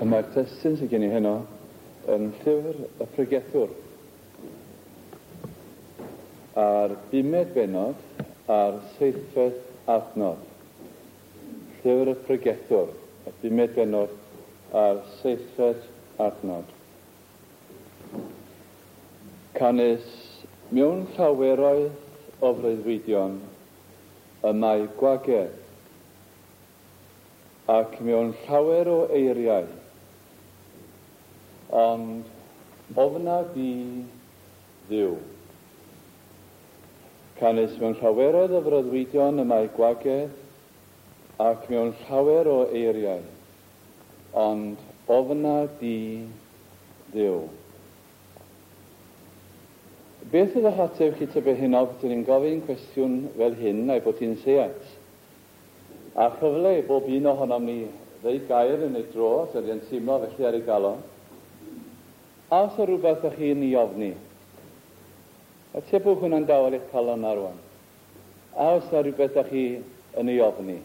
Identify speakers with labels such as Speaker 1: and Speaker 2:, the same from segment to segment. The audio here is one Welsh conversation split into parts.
Speaker 1: Y mae'r testun sydd gen i heno yn llyfr y pregethwr. A'r bumed bennod a'r seithfed adnod. Llyfr y pregethwr, y bumed bennod a'r seithfed adnod. Canys mewn llaweroedd o freuddwydion y mae gwagedd, ac mewn llawer o eiriau, ond ofna di Dduw. Canys mewn llaweroedd o freuddwydion y mae gwagedd, ac mewn llawer o eiriau, ond ofna di Dduw. Beth oedd eich ateb chi tybed heno petwn i'n gofyn cwestiwn fel hyn a'i bod hi'n seiat? A chyfle i bob un ohonom ni ddeud gair yn ei dro os ydy yn teimlo felly ar ei galon. A oes 'na rhywbeth ych chi'n ei ofni? Atebwch hwnna'n dawel i'ch calon na rwan. A oes 'na rhywbeth ych chi yn ei ofni?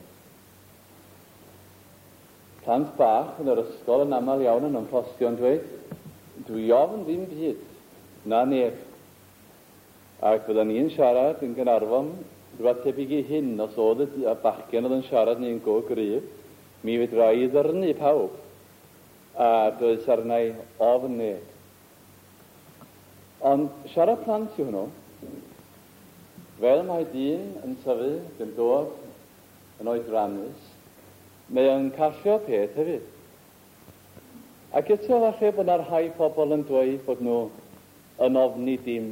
Speaker 1: Plant bach yn yr ysgol yn aml iawn yn ymffrostio'n dweud, Dwi ofn ddim byd, na neb. Ac fyddan ni'n siarad yn Gaernarfon, rhywbeth tebyg i hyn, os oedd y bachgen oedd yn siarad ni'n go gryf, mi fedra i ddyrnu pawb, a does arna i ofn neb. Ond siarad plant yw hwnnw. Fel mae dyn yn tyfu ac yn dod yn oedrannus, mae o'n callio peth hefyd. Ac eto falle bod 'na rhai pobl yn dweud bod nhw yn ofni dim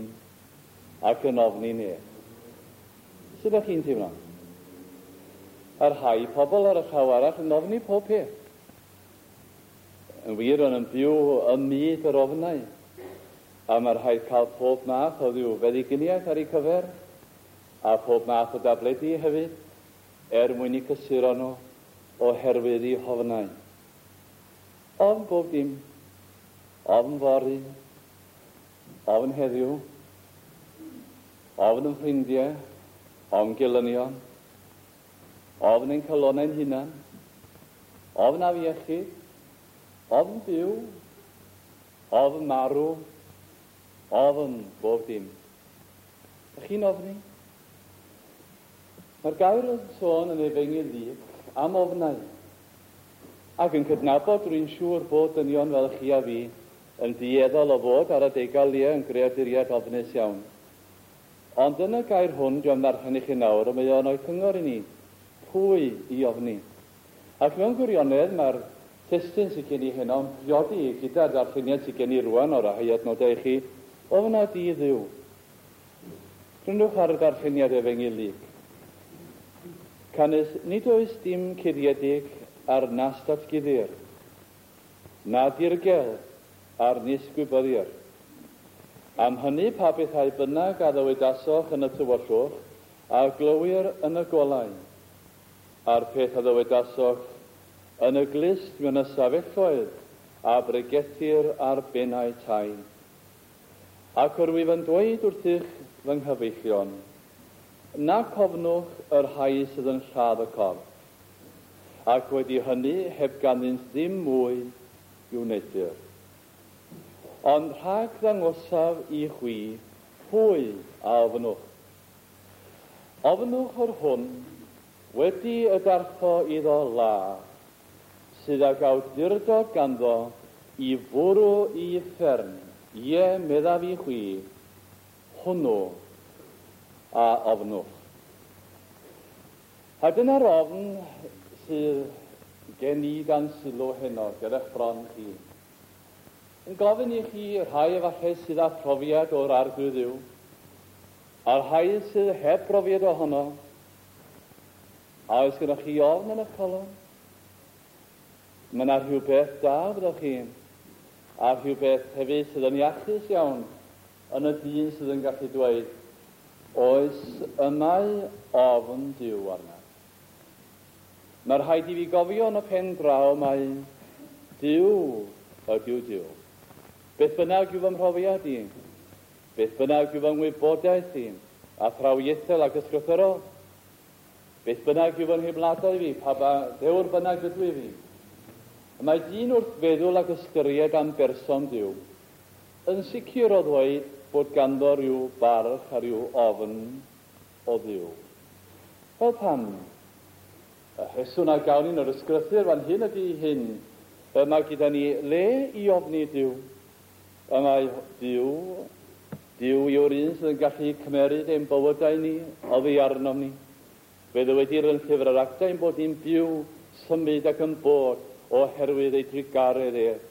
Speaker 1: ac yn ofni neb. Sut ydych chi'n teimlo? A rhai pobl ar y llaw arall yn ofni pob peth. Yn wir, o'n yn byw ym myd yr ofnau, a mae rhaid cael pob math o ddiw feddyginiaeth ar eu cyfer, a phob math o dabledi hefyd, er mwyn eu cysuro nhw oherwydd eu hofnau. Ofn bob dim. Ofn fory. Ofn heddiw. Ofn yn ffrindiau. Ofn gelynion. Ofn ein calonnau'n hunan. Ofn afiechyd. Ofn byw. Ofn marw. Ofn bob dim. Ych chi'n ofni? Mae'r gair yn sôn yn Efengyl Luc am ofnau. Ac yn cydnabod, rwy'n siŵr, bod dynion fel chi a fi yn dueddol o fod ar adegau lie yn greaduriaid ofnus iawn. Ond yn y gair hwn dwi am ddarllen i chi nawr, y mae o'n rhoi cyngor i ni, pwy i ofni. Ac mewn gwirionedd, mae'r testun sydd gen i heno yn priodi gyda'r darlleniad sydd gen i rwan o'r rhai adnodau i chi, ofna di Dduw. Gwrandwch ar y darlleniad Efengyl Luc. Canys nid oes dim cuddiedig ar nas datguddir, na dirgel ar nis gwybyddir. Am hynny pa bethau bynnag a ddywedasoch yn y tywyllwch, a glywir yn y golau, a'r peth a ddywedasoch yn y glust mewn ystafelloedd, a bregethir ar bennau tai. Ac yr wyf yn dweud wrthych, fy nghyfeillion, nac ofnwch y rhai sydd yn lladd y corff, ac wedi hynny heb ganddynt ddim mwy i'w wneuthur. Ond rhag ddangosaf i chwi pwy a ofnwch. Ofnwch yr hwn, wedi y darpho iddo law, sydd ag awdurdod ganddo i fwrw i uffern, ie, meddaf i chwi, hwnnw a ofnwch. A dyna'r ofn sydd gen i dan sylw heno ger eich bron chi. Yn gofyn i chi, rhai efallai sydd â phrofiad o'r Arglwydd Dduw, a'r rhai sydd heb brofiad ohono, a oes gennych chi ofn yn eich calon? Mae yna rhywbeth da, fyddwch chi, a rhywbeth hefyd sydd yn iachus iawn yn y dyn sydd yn gallu dweud, Oes, y mae ofn Duw arnaf. Mae rhaid i fi gofio yn y pen draw mai Duw ydyw Duw. Beth bynnag yw fy mhrofiad i, beth bynnag yw fy ngwybodaeth i, athrawiaethol ac ysgrythurol, Beth bynnag yw fy nheimladau fi, pa ba ddewr bynnag ydw i fi. Y mae dyn wrth feddwl ac ystyried am berson Duw, yn sicr o ddweud bod ganddo rhyw barch a rhyw ofn o Dduw. Wel pam? Y rheswm a gawn ni yn yr ysgrythur fan hyn ydy hyn, y mae gyda ni le i ofni Duw. Y mae Duw, Duw yw'r un sydd yn gallu cymeryd ein bywydau ni oddi arnom ni. Fe ddywedir yn llyfr yr Actau ein bod ni'n byw, symud ac yn bod oherwydd ei drugaredd ef.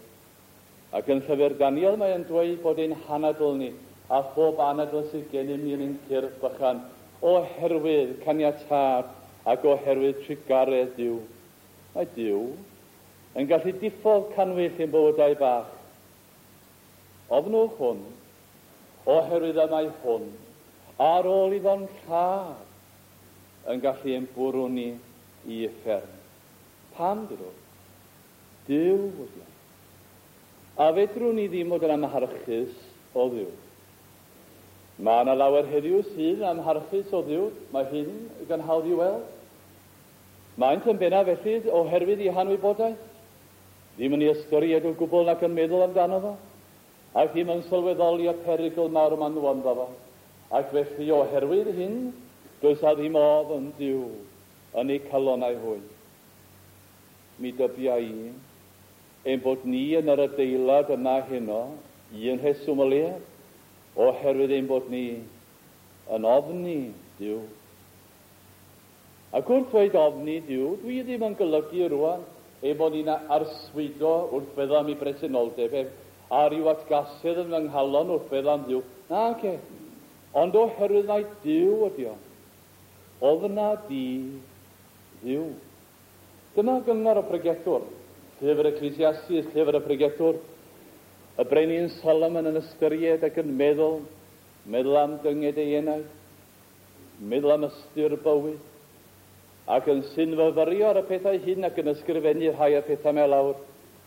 Speaker 1: Ac yn llyfr Daniel mae yn dweud bod ein hanadl ni, a phob anadl sydd gennym ni yn ein cyrff bychan, oherwydd caniatâd ac oherwydd trugaredd Duw. Mae Duw yn gallu diffodd cannwyll ein bywydau bach. Ofnwch hwn, oherwydd y mae hwn, ar ôl iddo'n lladd, yn gallu ein bwrw ni i uffern. Pam, dwedwch? Duw ydi o. A fedrwn ni ddim fod yn amharchus o Dduw. Mae yna lawer heddiw sydd yn amharchus o Dduw, mae hyn yn hawdd i'w weld. Maent yn bennaf felly oherwydd eu hanwybodaeth, ddim yn ei ystyried o gwbl nac yn meddwl amdano fo, ac ddim yn sylweddoli y perygl mawr maen nhw ynddo fo. Ac felly oherwydd hyn, does a ddim ofn Duw yn eu calonnau hwy. Mi dybia i ein bod ni yn yr adeilad yma heno, un rheswm o leiaf, oherwydd ein bod ni yn ofni Duw. Ac wrth ddweud ofni Duw, dwi ddim yn golygu rwan ein bod ni'n arswydo wrth feddwl am ei bresenoldeb ef, a rhyw atgasedd yn fy nghalon wrth feddwl am Dduw. Nage. Ond oherwydd mai Duw ydi o. Ofna di Dduw. Dyma gyngor y pregethwr, llyfr Ecclesiastes, llyfr y pregethwr, y brenin Solomon yn ystyried ac yn meddwl, meddwl am dynged ei enaid, meddwl am ystyr bywyd, ac yn synfyfyrio ar y pethau hyn ac yn ysgrifennu rhai o'r pethau 'ma lawr,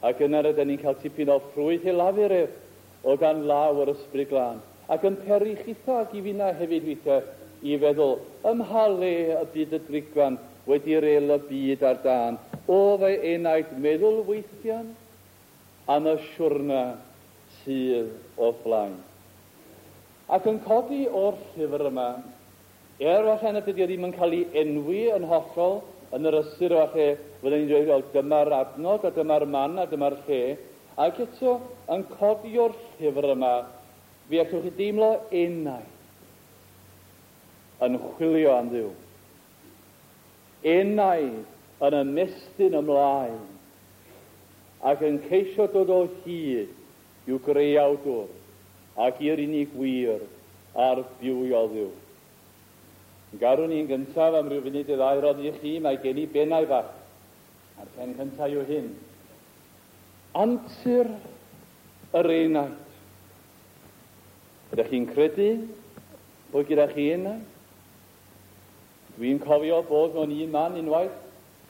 Speaker 1: ac yna rydyn ni'n cael tipyn o ffrwyth ei lafur ef o dan law yr Ysbryd Glân, ac yn peri chitha ac i finna hefyd weithiau i feddwl, ym mha le y bydd y drigfan wedi rêl y byd ar dân, o fy enaid meddwl weithian am y siwrna sydd o'th flaen. Ac yn codi o'r llyfr yma, er falle nad ydy o ddim yn cael ei enwi yn hollol yn yr ystyr falle fydden ni'n dweud, wel, dyma'r adnod a dyma'r man a dyma'r lle, ac eto yn codi o'r llyfr yma, fe allwch chi deimlo enaid yn chwilio am Dduw. Enaid yn ymestyn ymlaen ac yn ceisio dod o hyd i'w greawdwr ac i'r unig wir a'r bywiol Dduw. Garwn i'n gyntaf am ryw funud neu ddau roddi i chi, mae gen i bennau fach, a'r pen cyntaf yw hyn. Antur yr enaid. Ydych chi'n credu bod gyda chi enaid? Dwi'n cofio bod mewn un man unwaith,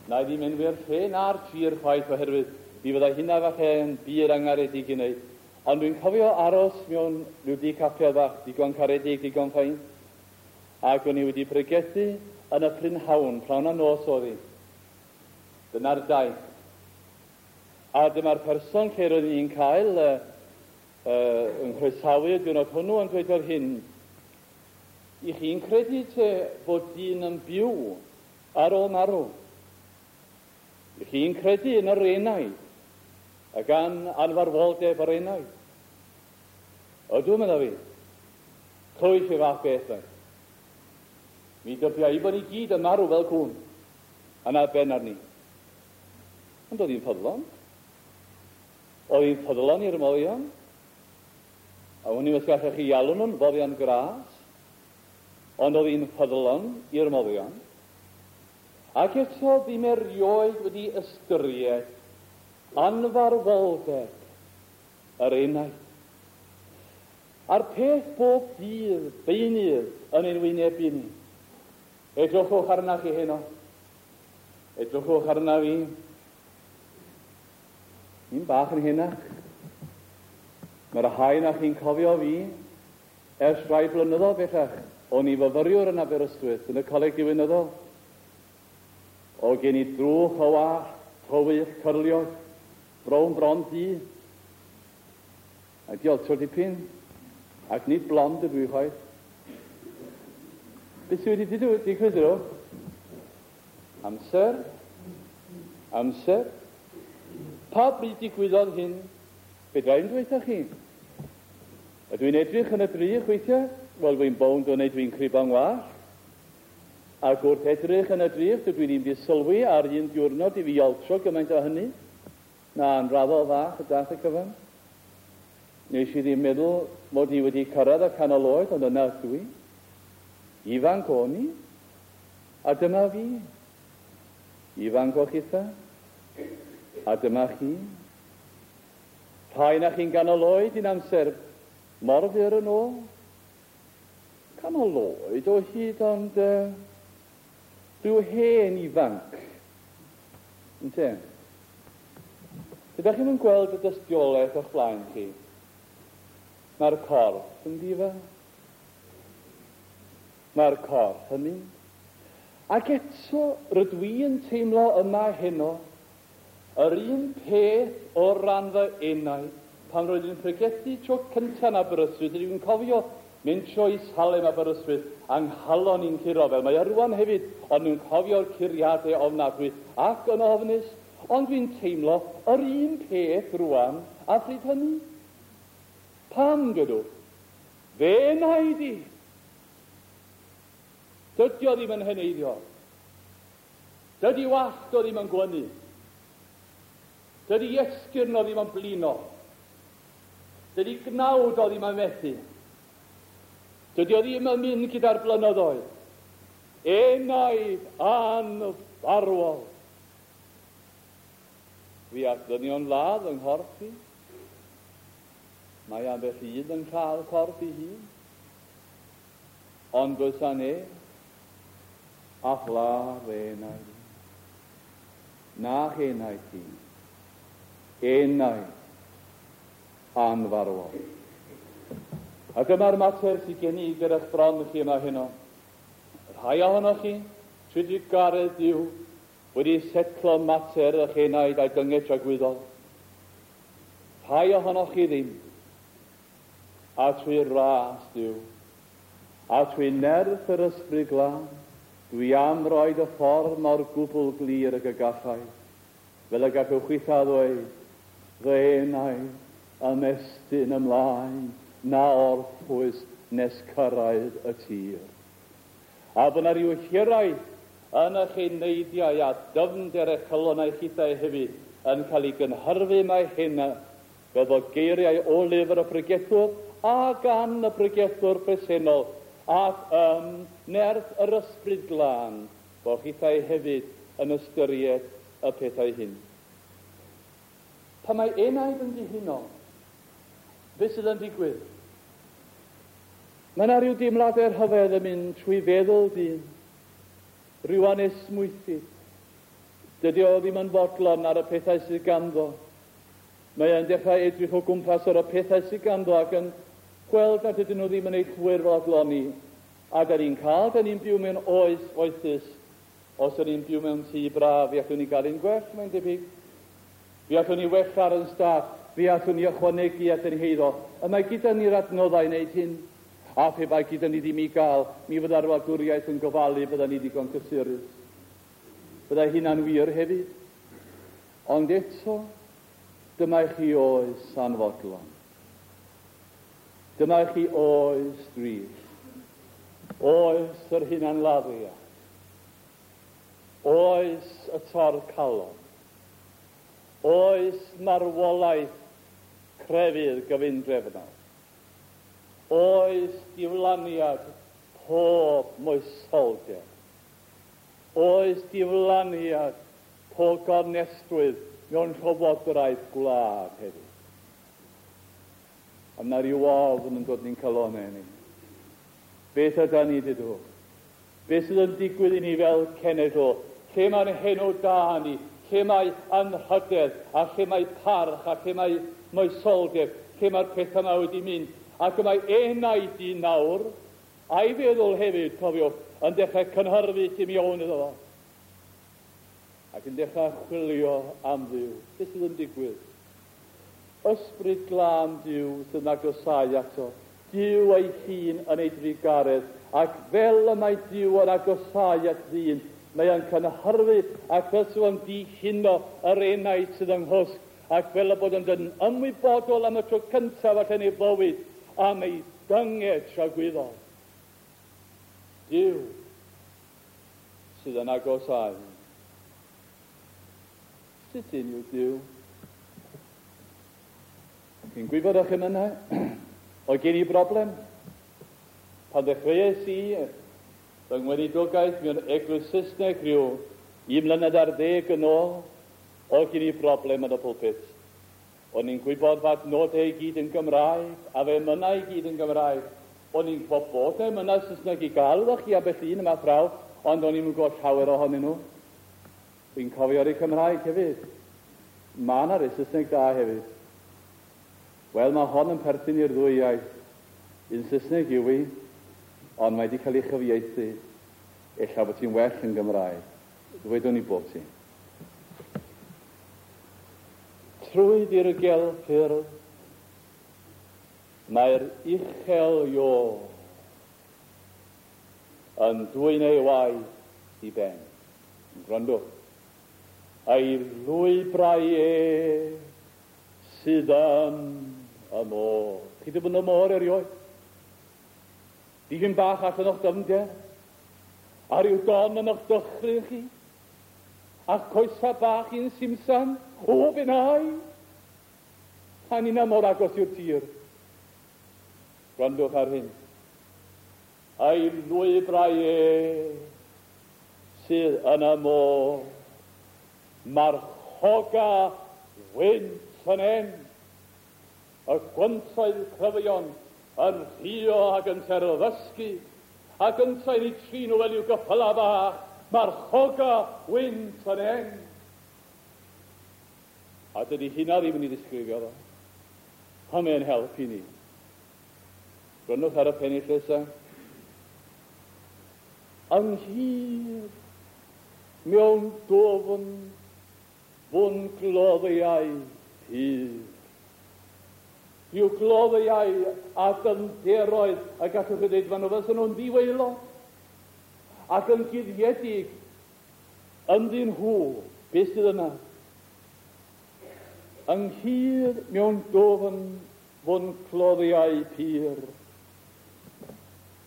Speaker 1: na i ddim enwi'r lle na'r tir chwaith oherwydd mi fyddai hynna falle yn bur angaredig i wneud. Ond dwi'n cofio aros mewn rhyw dŷ capel fach, digon caredig, digon ffain, ac o'n i wedi pregethu yn y prynhawn, prynhawn a nos oedd hi. Dyna'r daith. A dyma'r person lle roeddwn i'n cael yng nghroesawu y diwrnod hwnnw yn dweud fel hyn, I chi'n credu te fod dyn yn byw ar ôl marw? I chi'n credu yn yr enaid a gan anfarwoldeb yr enaid? Ydw, medda fi. Clywis i fath beth fe. Mi dybia i bod ni gyd yn marw fel cŵn. A 'na ben arni. Ond oedd hi'n ffyddlon. Oedd hi'n ffyddlon i'r moddion. A wn i'm os gallech chi alw nhw'n foddion gras, ond oedd hi'n ffyddlon i'r moddion. Ac eto ddim erioed wedi ystyried anfarwoldeb yr enaid. A'r peth bob dydd, beunydd, yn ein wynebu ni. Edrychwch arna chi heno. Edrychwch arna fi. Ni'n bach yn henach. Mae'r rhai na chi'n cofio fi ers rhai blynyddoedd bellach. O'n i fyfyriwr yn Aberystwyth yn y Coleg Diwinyddol. O gen i drwch o wallt, tywyll, cyrliog. Brown bron du. A di altro dipyn. Ac nid blond ydw i chwaith. Beth sydd wedi digwydd iddo? Amser. Amser. Pa bryd digwyddodd hyn? Fedra i'm dweutha chi. Ydw i'n edrych yn y drych weithiau? Wel, dwi'n bownd o wneud dwi'n cribo'n wallt. Ac wrth edrych yn y drych, dydw i ddim wedi sylwi ar un diwrnod i fi altro gymaint o hynny. Na, yn raddol fach y dath y cyfan. Nes i ddim meddwl mod i wedi cyrraedd y canol oed, ond yna ydw i. Ifanc o'n i, a dyma fi. Ifanc o chitha, a dyma chi. Rhai na chi'n ganol oed un amser mor fyr yn ôl. Canol oed o hyd, ond rhyw hen ifanc. Ynte? Ydych chi'n yn gweld y dystiolaeth o'ch blaen chi? Mae'r corff yn difa. Mae'r corff yn mynd. Ac eto, rydw i yn teimlo yma heno yr un peth o ran fy enaid pan roeddwn i'n pregethu tro cyntaf yn Aberystwyth. Rydw i'n cofio mynd tro i Salem Aberystwyth a 'nghalon i'n curo fel mae o rwan hefyd, ond dwi'n cofio'r curiadau ofnadwy ac yn ofnus, ond dwi'n teimlo yr un peth rwan a phryd hynny. Pam, dwedwch? Fe enaid i! Dydy o ddim yn heneiddio. Dydy wallt o ddim yn gwynnu. Dydy esgyrn o ddim yn blino. Dydy gnawd o ddim yn methu. Dydy o ddim yn mynd gyda'r blynyddoedd. Enaid anfarwol. Fi all ddynion ladd yng nghorff i. Mae ambell un yn cael corff ei hun. Ond does â neb a phladd fy enaid i. Na'ch enaid chi. Enaid anfarwol. A dyma'r mater sydd gen i gyda'ch bron chi yma heno. Rhai ohonoch chi, trwy drugaredd Duw, wedi setlo mater eich enaid a'i dynged tragwyddol. Rhai ohonoch chi ddim. A trwy ras Duw, a trwy nerth yr Ysbryd Glân, dwi am roid y ffordd mor gwbl glir ag y gallai, fel y gallwch chwitha ddweud, Fy enaid ymestyn ymlaen na orffwys nes cyrraedd y tir. A bod 'na ryw hiraeth yn eich eneidiau a dyfnder eich calonnau chithau hefyd yn cael ei gynhyrfu mae hyn fel bod geiriau o lyfr y pregethwr a gan y pregethwr presennol ac ym nerth yr Ysbryd Glân bod chithau hefyd yn ystyried y pethau hyn. Pan mae enaid yn dihuno, beth sydd yn digwydd? Mae yna rhyw deimladau rhyfedd yn mynd trwy feddwl dyn, rhyw anesmwythyd. Dydy o ddim yn fodlon ar y pethau sydd ganddo. Mae e'n dechrau edrych o gwmpas ar y pethau sydd ganddo ac yn gweld nad ydyn nhw ddim yn ei llwyr fodloni. A da ni'n cael, da ni'n byw mewn oes foethus. Os ydyn ni'n byw mewn tŷ braf, fe allwn ni gael un gwell, mae'n debyg. Fe allwn ni wella ar yn stad, fe allwn ni ychwanegu at ein heiddo. Y mae gyda ni'r adnoddau i wneud hyn. A phe bai gyda ni ddim i gael, mi fydda'r wladwriaeth yn gofalu bydda ni ddigon cysurus. Byddai hynna'n wir hefyd. Ond eto, dyma i chi oes anfodlon. Dyma i chi oes drist. Oes yr hunanladdiad. Oes y tor calon. Oes marwolaeth crefydd gyfundrefnol. Oes diflaniad pob moesoldeb. Oes diflaniad pob gonestrwydd mewn llywodraeth gwlad hefyd. A mae rhyw ofn yn dod ni'n calonnau ni. Beth yda ni, dydwch? Beth sydd yn digwydd i ni fel cenedl? Lle mae'n henw da ni? Lle mae anrhydedd? A lle mae parch? A lle mae moesoldeb? Lle mae'r pethau yma wedi mynd? Ac y mae enaid i nawr, a'i feddwl hefyd, cofiwch, yn dechrau cynhyrfu tu mewn iddo fo. Ac yn dechrau chwilio am Dduw. Beth sydd yn digwydd? Ysbryd Glân Duw sydd yn agosáu ato. Duw ei hun yn ei drugaredd, ac fel y mae Duw yn agosáu at ddyn, mae yn cynhyrfu ac fel sydd yn dihuno yr enaid sydd yng nghwsg, ac fel y bod yn dod yn ymwybodol am y tro cyntaf allan ei fywyd am ei dynged tragwyddol. Duw sydd yn agosáu. Sut un yw Duw? Chi'n gwybod o'ch emynau? Oedd gen i broblem. Pan ddechreuais i fy ngweinidogaeth mewn eglwys Saesneg rhyw 11 yn ôl, oedd gen i broblem yn y pulpit. O'n i'n gwybod fod nodau i gyd yn Gymraeg, a fe emynau i gyd yn Gymraeg. O'n i'n gwybod bod emynau Saesneg i gael iddo chi ambell un yma phraw, ond o'n i'n gwybod llawer ohonyn nhw. Dwi'n cofio ar eu Cymraeg hefyd. Mae yna rai Saesneg da hefyd. Wel, mae hon yn perthyn i'r ddwy iaith. Un Saesneg yw hi, ond mae wedi cael ei chyfieithu. Ella bod ti'n well yn Gymraeg. Ddwedwn i bod ti. Trwy ddirgel ffyrdd, mae'r uchel Io yn dwyn ei waith i ben. Gwrandwch. Ei lwybrau e sydd yn y môr. Chi wedi bod yn y môr erioed? Dipyn bach allan o'ch dyfnder? A rhyw don yn o'ch dychryn chi? A'ch coesa bach i'n simsan? O, fe nai! A ni'na mor agos i'r tir. Gwrandwch ar hyn. Ei lwybrau e sydd yn y môr. Marchoga wynt yn en. Y gwyntoedd cryfion yn rhuo ac yn terfysgu, ac yntau'n eu trin nhw fel i'w gyffyla bach, marchoga wynt yn en. A dydy hynna ddim yn ei ddisgrifio fo. A mae'n help i ni. Gwrandwch ar y pennill nesaf. Ynghyd mewn dwfn fwn gloddiau pur. Rhyw gloddiau a dyfnderoedd y gallwch chi ddweud, maen nhw fel nhw'n ddiwaelod ac yn guddiedig ynddyn nhw. Beth sydd yna? Ynghyd mewn dwfn fwn cloddiau pur.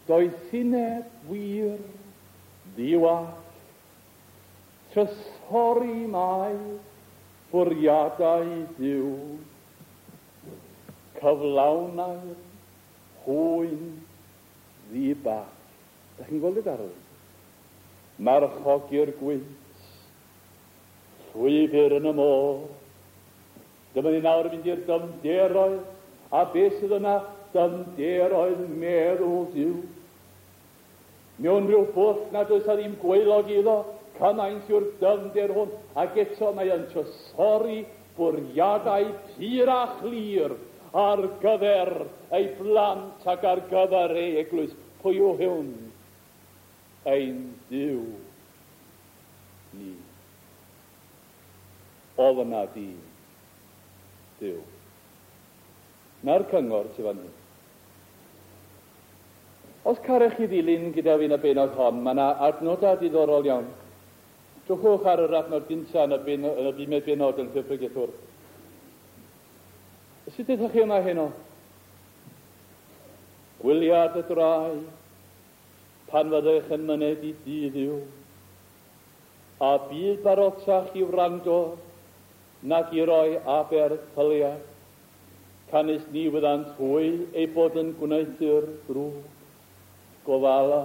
Speaker 1: Doethineb wir ddiwall, trysori mae bwriadau Duw, cyflawnau'r hwy'n ddi-ball. Da chi'n gweld y darlun? Marchogi'r gwynt, llwybr yn y môr. Dyma ni nawr yn mynd i'r dyfnderoedd, a beth sydd yna? Dyfnderoedd meddwl Duw. Mewn rhyw bwll nad oes a ddim gwaelod iddo, cymaint yw'r dyfnder hwn, ac eto mae yn trysori bwriadau pur a chlir ar gyfer ei blant ac ar gyfer ei eglwys. Pwy yw hwn? Ein Duw ni. Ofna di, Duw. Na'r cyngor sydd fan hyn. Os carech chi ddilyn gyda fi yn y bennod hon, mae yna adnodau diddorol iawn. Drychwch ar yr adnod gyntaf yn y, ben, yn y bumed bennod yn Llyfr Pregethwr. Sut ydych chi yma heno? Gwyliad y drai, pan fyddech yn myned i dŷ Dduw, a bydd barotach i wrando nag i roi aberth pyliad, canys ni wyddant hwy ei bod yn gwneuthur drwg. Gofala.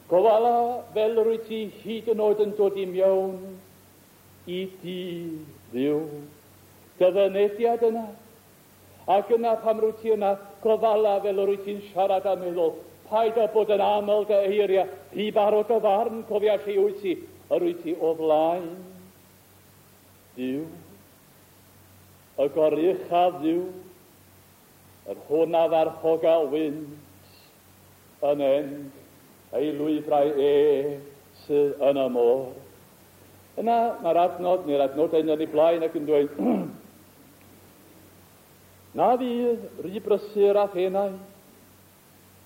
Speaker 1: Gofala fel yr wyt ti hyd yn oed yn dod i mewn i dŷ Dduw. Dy fynediad yna. Ac yna pam rwyt ti yna, gofala fel yr wyt ti'n siarad a meddwl. Paid â bod yn aml dy eiriau, rhy barod dy farn, cofia lle wyt ti, yr wyt ti o flaen Duw, y goruchaf Dduw, yr hwn a farchoga wynt yn en ei lwybrau e sydd yn y môr. Yna mae'r adnod neu'r adnodau yn ei blaen ac yn dweud, Na fydd rhy brysur a thenau,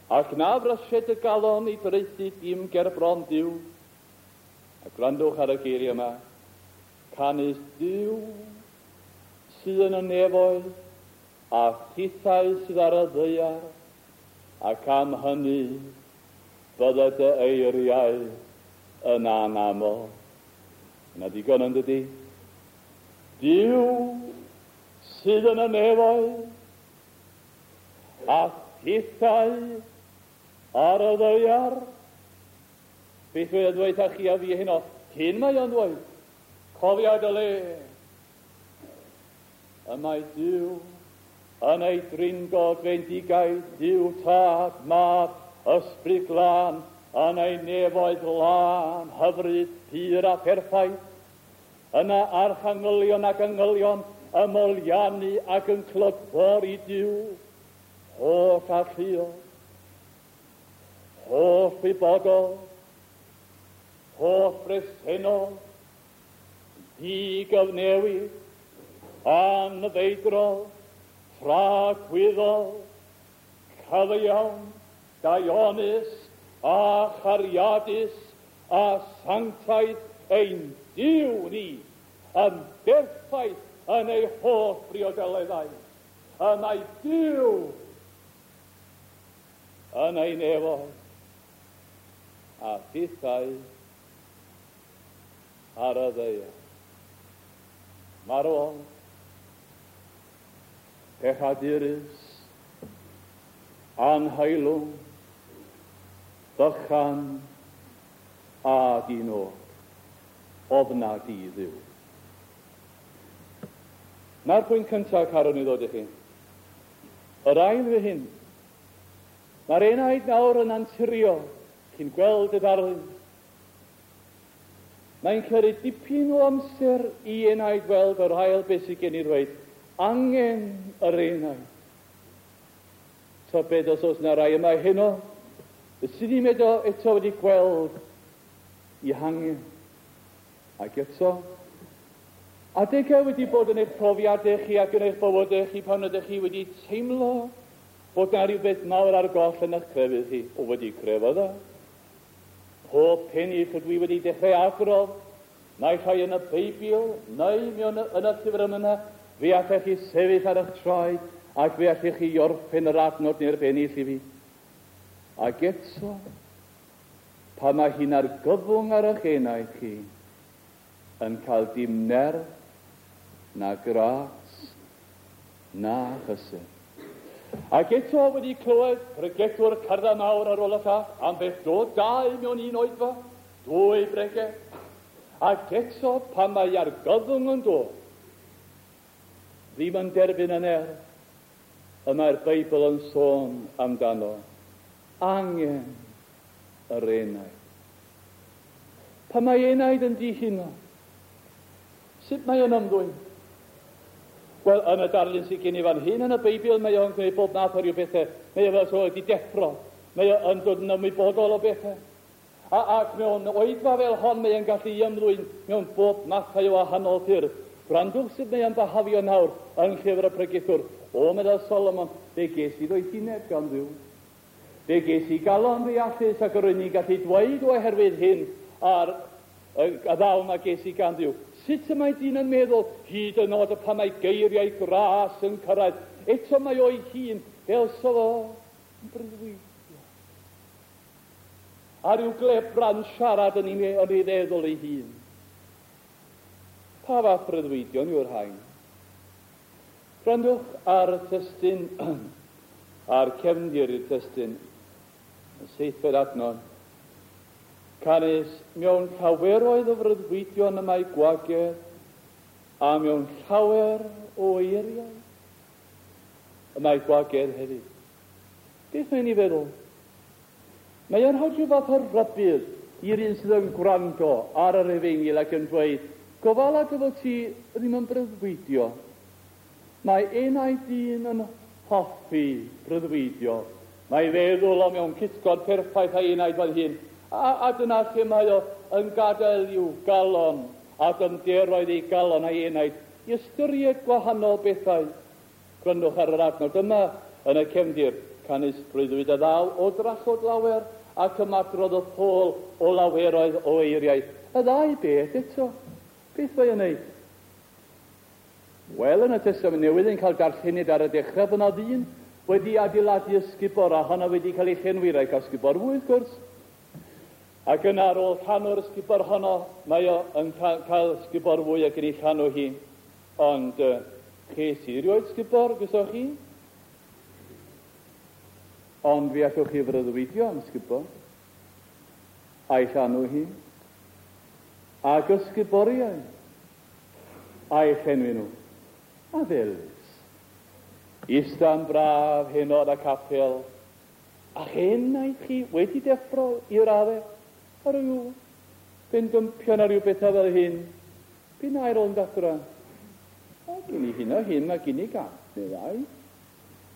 Speaker 1: ac na frysied y galon i draethu dim ger bron Duw. A gwrandwch ar y geiriau yma. Canys Duw sydd yn y nefoedd, a thithau sydd ar y ddaear, ac am hynny bydde dy eiriau yn anaml. Yna digon yn dydy? Duw sydd yn y nefoedd, a thithau ar y ddaear. Beth mae o'n dweud â chi a fi heno? Hyn mae o'n dweud. Cofia dy le. Y mae Duw yn ei drindod fendigaid, Duw Tad, Mab, Ysbryd Glân, yn ei nefoedd lân, hyfryd, pur a pherffaith. Yna archangylion ac angylion yn moliannu ac yn clodfori Duw, holl alluog, holl wybodol, holl bresennol, digyfnewid, anfeidrol, tragwyddol, cyfiawn, daionus, a chariadus, a sanctaidd ein Duw ni, yn berffaith yn ei holl briodoleddau. Y mae Duw yn ei nefoedd, a thithau ar y ddaear. Marwol, pechadurus, anheilwng, bychan a dinod, ofna di Dduw. Na'r pwynt cyntaf carwn i ddod i chi. Yr ail fy hyn. Mae'r enaid nawr yn anturio, chi'n gweld y darlun. Mae'n cymryd dipyn o amser i enaid weld yr ail beth sydd gen i ddweud. Angen yr enaid. Tybed os oes yna rai yma heno, sydd ddim eto wedi gweld i hangen. Ac eto, adegau wedi bod yn eich profiadau chi ac yn eich bywydau chi pan ydych chi wedi teimlo bod yna rhywbeth mawr ar goll yn eich crefydd chi. O, wedi crefydda. Pob pennill ydw i wedi dechrau adrodd, naill ai yn y Beibl neu mewn yn y llyfr yma, fe allech chi sefyll ar eich traed ac fe allech chi orffen yr adnod neu'r bennill i fi. Ac eto, pan mae hi'n argyfwng ar eich enaid chi, yn cael dim nerth, na gras, na chysur. Ac eto wedi clywed pregethwr cardda mawr ar ôl y llall, am beth dod dau mewn un oedfa, dwy bregeth. Ac eto pan mae argyfwng yn dod, ddim yn derbyn y nerth, y mae'r Beibl yn sôn amdano. Angen yr enaid. Pan mae enaid yn dihuno, sut mae o'n ymddwyn? Wel, yn y darlun sydd gen i fan hyn yn y Beibl, mae o'n gwneud bob math o ryw bethau. Mae o fel so wedi deffro. Mae o'n dod yn ymwybodol o bethau. Ac mewn oedfa fel hon, mae o'n gallu ymddwyn mewn bob mathau o wahanol ffyrdd. Gwrandwch sut mae o'n byhafio nawr yn llyfr y pregethwr. O, meddai Solomon, fe ges i ddoethineb gan Dduw. Fe ges i galon ddeallus ac yr o'n i'n gallu dweud oherwydd hyn a'r y ddawn a ges i gan Dduw. Sut y mae dyn yn meddwl hyd yn oed pan mae geiriau gras yn cyrraedd? Eto mae o'i hun fel so fo yn breuddwydio. A rhyw glebran siarad yn ei feddwl ei hun. Pa fath breuddwydion yw'r rhain? Gwrandwch ar y testun, a'r cefndir i'r testun, y seithfed adnod. Canys mewn llaweroedd o freuddwydion y mae gwagedd, a mewn llawer o eiriau y mae gwagedd hefyd. Beth mae'n ei feddwl? Mae o'n rhoi rhyw fath o rybudd i'r un sydd yn gwrando ar yr efengyl ac yn dweud, gofala dy fod ti ddim yn breuddwydio. Mae enaid dyn yn hoffi breuddwydio. Mae feddwl o mewn cytgord perffaith a'i enaid fel hyn. A dyna lle mae o yn gadael i'w galon a dymderoedd ei galon a'i enaid i ystyried gwahanol bethau. Gwrandwch ar yr adnod yma yn y cefndir, canys breuddwyd a ddaw o drallod lawer ac ymadrodd y ffôl o laweroedd o eiriau. Y ddau beth eto. Beth mae o'n neud? Wel, yn y Testament Newydd yn cael darllenid ar y dechrau bod yna ddyn wedi adeiladu ysgubor a honno wedi cael ei llenwi, rhaid cael ysgubor fwy wrth gwrs. Ac yna ar ôl llanw'r ysgubor honno, mae o yn cael ysgubor fwy ac yn ei llanw hi. Ond ches i rioed sgubor, gysoch chi? Ond fi allwch chi freuddwydio am sgubor, a'i llanw hi, ac ysguboriau, a'i llenwi nhw. A felys. Ista'n braf heno yn y capel, a'ch enaid chi wedi deffro i raddau, a rhyw bendympion a rhyw bethau fel hyn. Bu'n air rownd adra. A gyn i hyn a hyn, a gyn i gant neu ddau.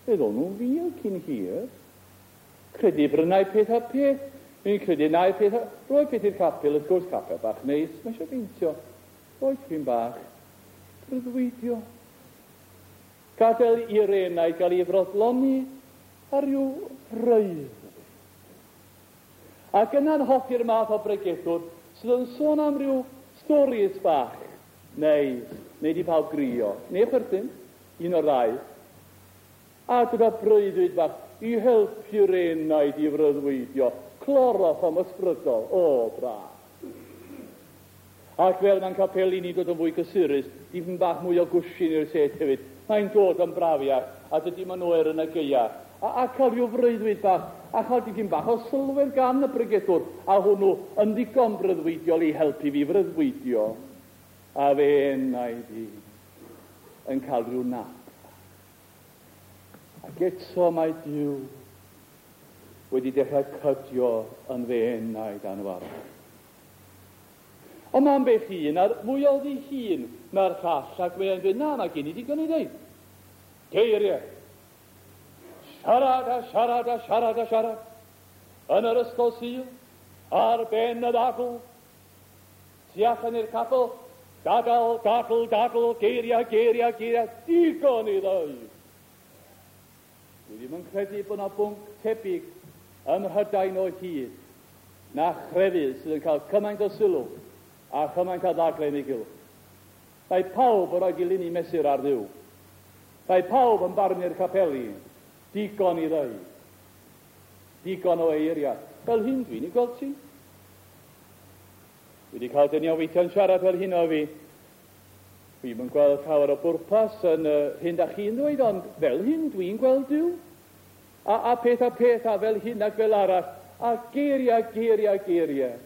Speaker 1: Fe ddon nhw'n fil cyn hir. Credu brynau peth a peth. Fi'n credu nau peth a... Rhoi peth i'r capel, wrth gwrs, capel bach neis. Mae eisiau beintio. Rhoi tipyn bach. Breuddwydio. Gadael i'r enau gael ei frodloni ar ryw freuddwyd. Ac yna'n hoffi'r math o bregethwr sydd yn sôn am ryw storis bach neis, neu di pawb grio, neu chwerthin, un o'r ddau. A gyda breuddwyd bach i helpu'r enaid i freuddwydio, cloroform ysbrydol, o, braf. Ac fel mae'n capeli ni'n dod yn fwy cysurus, dipyn bach mwy o gwshin i'r set hefyd, mae'n dod yn brafiach, a dydy ma'n oer yn y gaea. A cael rhyw freuddwyd bach, a chael dipyn bach o sylwedd gan y pregethwr, a hwnnw yn ddigon breuddwydiol i helpu fi freuddwydio. A fe enaid i yn cael rhyw nap. Ac eto mae Duw wedi dechrau cydio yn fy enaid anfarwol. Ond mae'n beth un a'r mwy o ddi hun na'r llall, ac mae o'n dweud, na, mae gen i ddigon i ddeud. Geiriau. Siarad a siarad a siarad a siarad. Yn yr ysgol Sul, ar ben y ddadl, tu allan i'r capel, dadl, dadl, dadl, geiriau, geiriau, geiriau, digon i ddeud. Dwi ddim yn credu bod yna bwnc tebyg ym Mhrydain o hyd na chrefydd sydd yn cael cymaint o sylw a chymaint o ddadlau yn ei gylch. Mae pawb yn rhoi dilyn i mesur ar Dduw. Mae pawb yn barnu'r capeli. Digon i ddeud. Digon o eiriau. Fel hyn dwi'n ei gweld ti. Dwi wedi cael dynion weithio'n siarad fel hyn o fi. Dwi'm yn gweld llawer o bwrpas yn y hyn da chi'n ddweud, ond fel hyn dwi'n gweld Duw. A, a peth a peth, a fel hyn ac fel arall, a geiriau, geiriau, geiriau.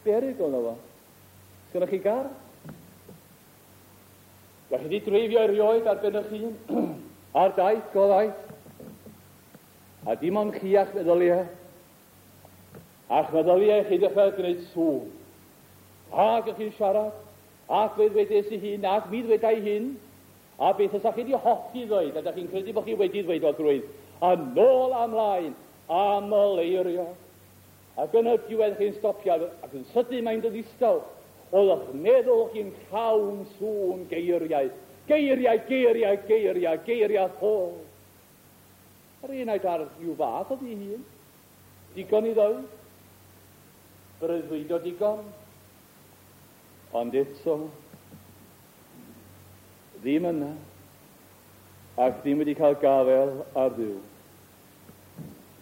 Speaker 1: Berygl na fo. Sgynnoch chi gar? Da chi wedi dreifio erioed ar ben eich hun? Ar daith, go ddaith? A dim ond chi a'ch meddyliau. A'ch meddyliau chi dechrau gwneud sŵn. Ac ych chi'n siarad, ac fe ddwedes i hyn, ac mi ddwedai hyn, a beth fysa chi wedi hoffi ddweud, a da chi'n credu bod chi wedi ddweud o drwydd, a nôl a mlaen, am y leirio. Ac yn y diwedd chi'n stopio, ac yn sydyn mae'n dod ddistaw. Oedd eich meddwl chi'n llawn sŵn geiriau. Geiriau, geiriau, geiriau, geiriau ffôl. Yr un aeth ar rhyw fath o ddi hun. Digon i ddweud. Breuddwydo digon. Ond eto, ddim yna, ac ddim wedi cael gafael ar Dduw.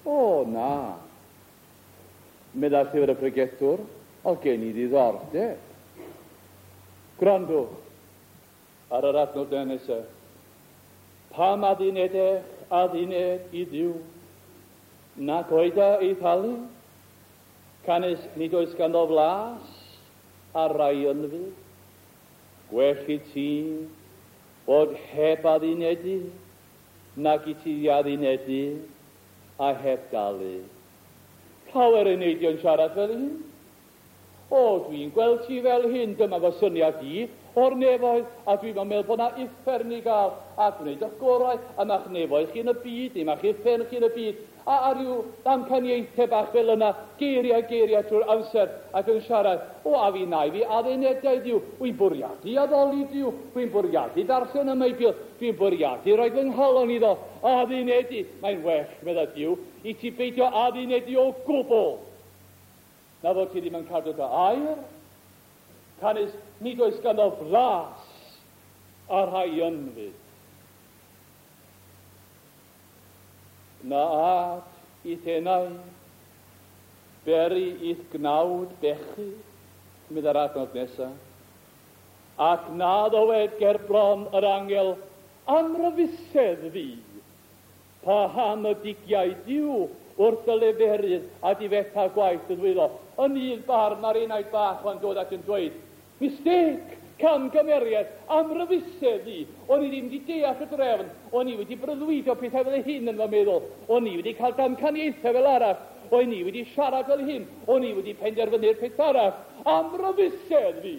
Speaker 1: O, na. Meddai llyfr y pregethwr, oedd gen i ddiddordeb. Gwrandwch ar yr adnod nesaf. Pam addunedech adduned i Dduw, nac oeda ei thalu, canys nid oes ganddo flas ar rai ynfyd. Gwell i ti fod heb addunedu, nag i ti addunedu a heb dalu. Llawer yn neidio yn siarad fel hyn. O, dwi'n gweld ti fel hyn, dyma fy syniad i o'r nefoedd, a dwi'n meddwl bod 'na uffern i gael, a gwneud eich gorau, a ma'ch nefoedd chi yn y byd, neu ma'ch uffern chi yn y byd, a ryw ddamcaniaethau bach fel yna, geiriau, geiriau trwy'r amser, ac yn siarad, o, a fi na i fi addunedau Duw, wy'n bwriadu addoli Duw, dwi'n bwriadu darllen y Meibl, dwi'n bwriadu rhoi fy nghalon iddo, addunedu, mae'n well, medda Duw, i ti beidio addunedu o gwbl. Na fod ti ddim yn cadw dy air, canys nid oes ganddo flas ar rhai ynfyd. Na ad i'th enau, beri i'th gnawd bechu, meddai'r adnod nesaf, ac na ddywed ger bron yr angel, amryfusedd fi, paham y digiau Duw wrth y leferydd a difetha gwaith y ddwylo. Yn un barn mae'r enaid bach ma'n dod ac yn dweud, mistake, camgymeriad, amryfusedd i. O'n i ddim wedi deall y drefn, o'n i wedi breuddwydio pethau fel hyn yn fy meddwl, o'n i wedi cael damcaniaethau fel arall, o'n i wedi siarad fel hyn, o'n i wedi penderfynu'r peth arall. Amryfusedd fi.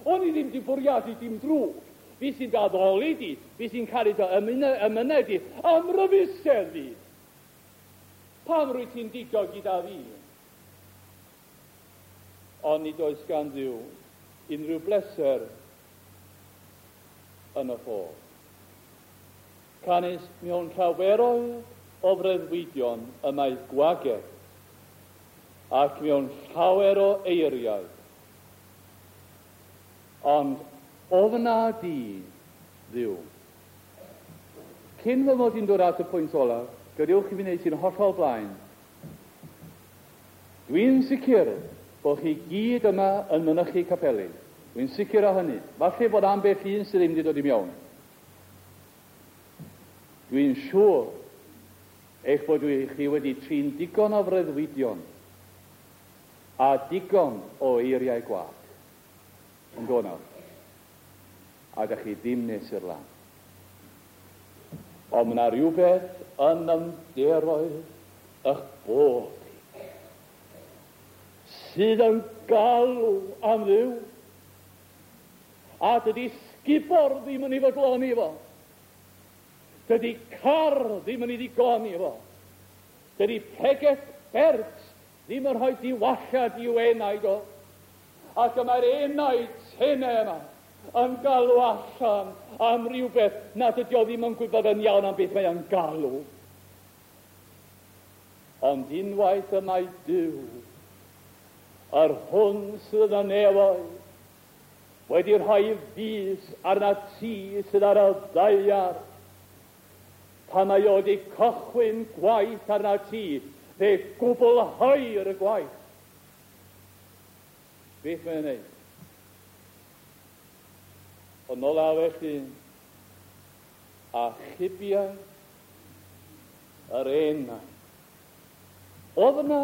Speaker 1: O'n i ddim wedi bwriadu dim drwg. Fi sy'n dy addoli di, fi sy'n caru dy emynau di, amryfusedd fi. Pam rwyt ti'n digo gyda fi? Ond nid oes gan Dduw unrhyw bleser yn y ffôl. Canys mewn llaweroedd o freuddwydion y mae gwagedd, ac mewn llawer o eiriau. Ond ofna di, Dduw. Cyn fy mod i'n dod at y pwynt olaf, gadewch i fi wneud sy'n hollol blaen. Dwi'n sicr bod chi gyd yma yn mynychu capeli. Dwi'n sicr o hynny. Falle bod ambell un sydd ddim wedi dod i mewn. Dwi'n siŵr eich bod chi wedi trin digon o freuddwydion a digon o eiriau gwag yn dod nawr. A dach chi ddim nes i'r lan. Ond mae yna rhywbeth yn ymderoedd eich bod chi sydd yn galw am Dduw. A dydy sgubor ddim yn ei fodloni fo. Dydy car ddim yn ei ddigoni fo. Dydy pregeth bert ddim yn rhoi diwallad i'w enaid o. Ac y mae'r enaid tenau yma yn galw allan am rhywbeth nad ydy o ddim yn gwybod yn iawn am beth mae o'n galw. Ond unwaith y mae Duw, yr hwn sydd yn y nefoedd, wedi rhoi fys arnat ti sydd ar y ddaear, pan mae o wedi cychwyn gwaith arnat ti, fe gwblheir y gwaith. Beth mae'n wneud? Yn olaf felly, achubiau yr enau. Ofna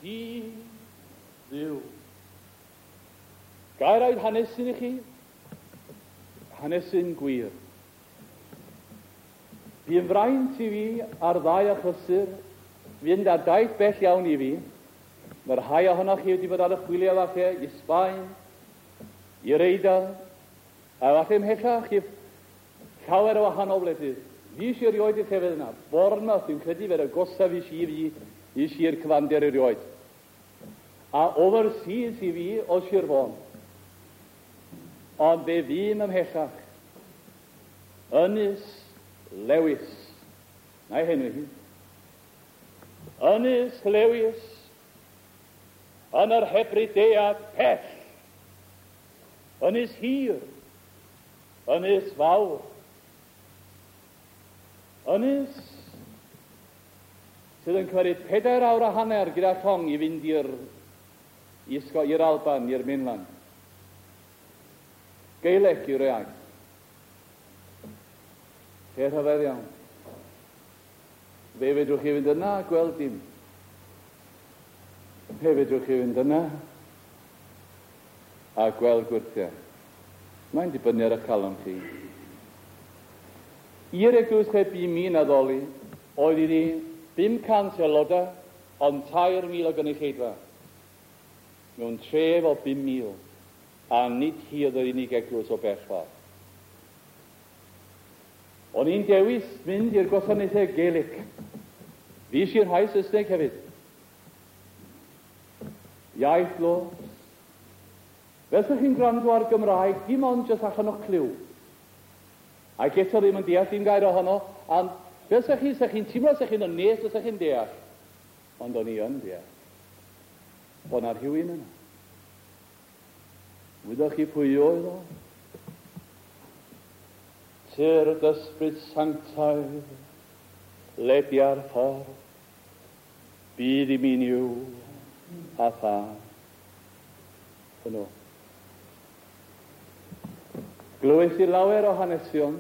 Speaker 1: di Dduw. Gair oedd hanesyn i chi? Hanesyn gwir. Bu'n fraint i fi ar ddau achlysur fynd ar daith bell iawn i fi. Mae rhai ohonoch chi wedi bod ar y chwiliau falle i Sbaen, i'r Eidal, a falle ymhellach i llawer o wahanol wledydd. Fi eisiau erioed i'r llefydd yna. Bournemouth, dwi'n credu fe'r agosaf i si fi i sir cyfandir erioed. A overseas i fi o Sir Fôn. Ond fe fûm ymhellach. Ynys Lewis. Na'i henwi hi. Ynys Lewis yn yr Hebridead pell. Ynys hir. Ynys fawr. Ynys sydd yn cymryd 4 awr a hanner gyda llong i fynd i'r Alban, i'r mainland. Gaeleg yw'r iaith. Lle rhyfedd iawn. Fe fedrwch chi fynd yna a gweld dim. Fe fedrwch chi fynd yna a gweld gwyrthiau. Mae'n dibynnu ar eich calon chi. I'r eglwys lle bu mi'n addoli, oedd iddi 500 aelodau, ond 3,000 o gynulleidfa. Mewn tref o 5,000, a nid hi oedd yr unig eglwys o bell ffordd. O'n i'n dewis mynd i'r gwasanaethau Gaelic. Fues i'r rhai Saesneg hefyd. Iaith los. Fel 'sech chi'n gwrando ar Gymraeg, dim ond jyst allan o'ch clyw. Ac eto ddim yn deall dim gair ohono, ond fel 'sech chi, 'sech chi'n teimlo 'sech chi'n yn nes, 'sech chi'n deall. Ond o'n i yn deall. Bod 'na rhywun yna. Wyddoch chi pwy oedd o? Tyrd Ysbryd Sanctaidd, ledia'r ffordd, bydd i mi'n Nuw a Thad. Hwnnw. Glywes i lawer o hanesion,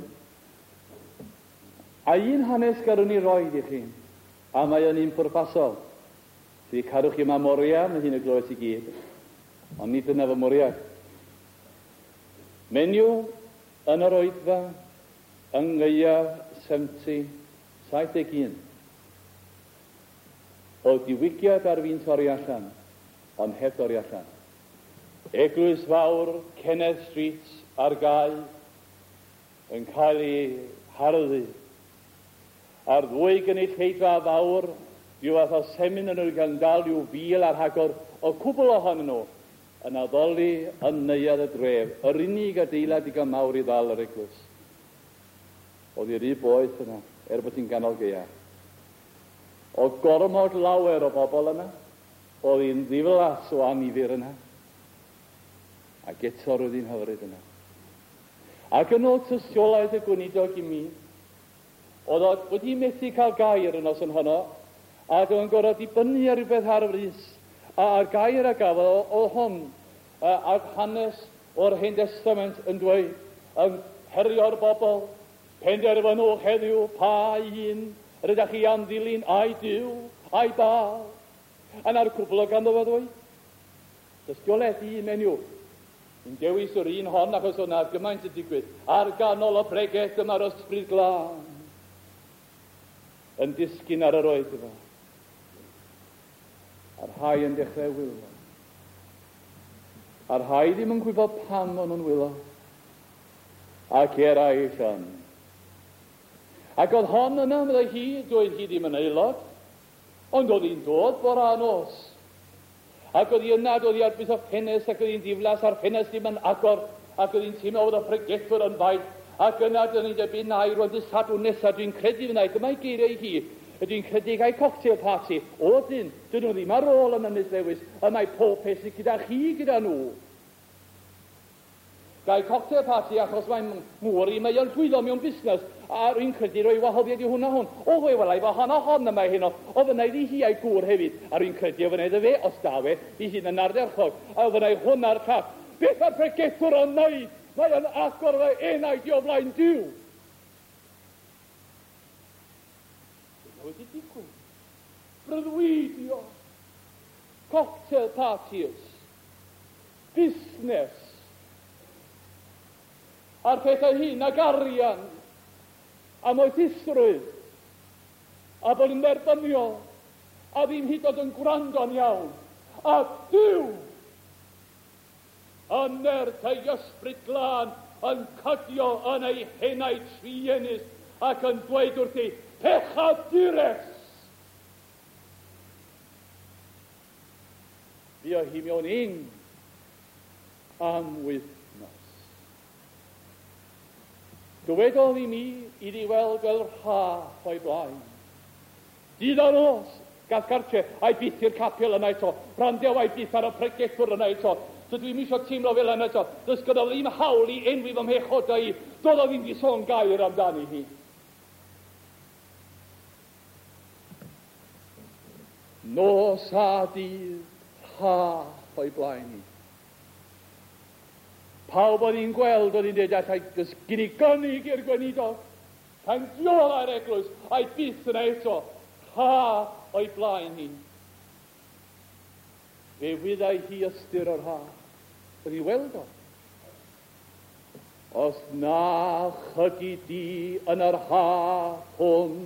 Speaker 1: a un hanes garwn i roid i chi, a mae yn un pwrpasol. Dwi cadw chi yma moria, mae hyn y glywes i gyd, ond nid dyna fy mwriad. Menyw yn yr oedfa yng ngaeaf 70, 71. Oedd diwygiad ar fin torri allan, ond heb dorri allan. Eglwys fawr Kenneth Street ar gau yn cael ei harddu. A'r ddwy gynulleidfa fawr, rhyw fath o semin yn nhw gan dal rhyw fil a rhagor o cwbl ohonyn nhw, yn addoli yn neuadd y dref, yr unig adeilad digon mawr i ddal yr eglwys. Oedd hi rhy boeth yna, er bod hi'n ganol gaeaf. O gormod lawer o bobl yna, oedd hi'n ddiflas o annifyr yna. Ac eto roedd hi'n hyfryd yna. Ac yn ôl tystiolaeth y gweinidog i mi, oedd o wedi methu cael gair y noson honno, ac oedd o'n gorfod dibynnu ar rhywbeth ar frys. A'r gair a gafodd oedd hwn, a'r hanes o'r Hen Destament yn dweud, yn herio'r bobl, penderfynwch heddiw pa un rydych chi am ddilyn, ai Duw, ai Baal. A 'na'r cwbl oedd ganddo fo ddweud. Tystiolaeth i un menyw. Yn dewis yr un hon achos oedd 'na gymaint yn digwydd. Ar ganol y bregeth dyma'r Ysbryd Glân yn disgyn ar yr oedfa. A'r rhai yn dechrau wylo. A'r rhai ddim yn gwybod pam o'n nhw'n wylo. Ac eraill yn. Ac oedd hon yna, meddai hi, doedd hi ddim yn aelod, ond oedd hi'n dod bore a nos. Ac oedd hi yna, ac oedd hi ar bwys y ffenest, ac oedd hi'n ddiflas, a'r ffenest ddim yn agor, ac oedd hi'n teimlo fod y pregethwr yn faith. Ac yna, dyna ni'n debyg, na, i rwan dydd Sadwrn nesaf, dwi'n credu fyna, dyma'i geiriau hi, dwi'n credu gai cocktail party. O, dyn, dyn nhw ddim ar ôl yn Ynys Lewis, y mae pob peth sydd gyda chi gyda nhw. Gai cocktail party achos mae ngŵr i, mae o'n llwyddo mewn busnes a rwy'n credu rhoi wahoddiad i hwn a hwn. O, fe welai fo hon a hon yma heno. Ofynna iddi hi a'i gŵr hefyd, a rwy'n credu ofynna iddo fe, os da fe, ei hun yn ardderchog, a ofynna i hwn a'r llall. Beth mae'r pregethwr yn wneud? Mae o'n agor fy enaid i o flaen Duw. Dyna wedi digwydd. Breuddwydio. Cocktail parties. Busnes. A'r pethau hyn ag arian a moethusrwydd a bod yn dderbyniol a ddim hyd yn oed yn gwrando'n iawn. A Duw yn nerth ei Ysbryd Glân yn cydio yn ei henaid truenus ac yn dweud wrthi, Pechadures! Fuodd hi mewn ing am wythnos. Dywedodd i mi iddi weld fel rhaff o'i blaen. Dydd a nos, gas gartre, a'i byth i'r capel yna eto, wrandew a'i byth ar y pregethwr yna eto. Dydw i'm isio teimlo fel yna eto. Does gynno ddim hawl i enwi fy mhechodau i. Doedd o ddim 'di sôn gair amdani hi. Nos a dydd, rhaff o'i blaen hi. Pawb oedd hi'n gweld oedd hi'n dweud allai does gen i gynnig i'r gweinidog. Pan dioddai'r eglwys, a'i byth yna eto, rhaff o'i blaen hi. Fe wyddai hi ystyr y rhaff. Oedd hi'n weld o. Os na chygi di yn yr haf hwn,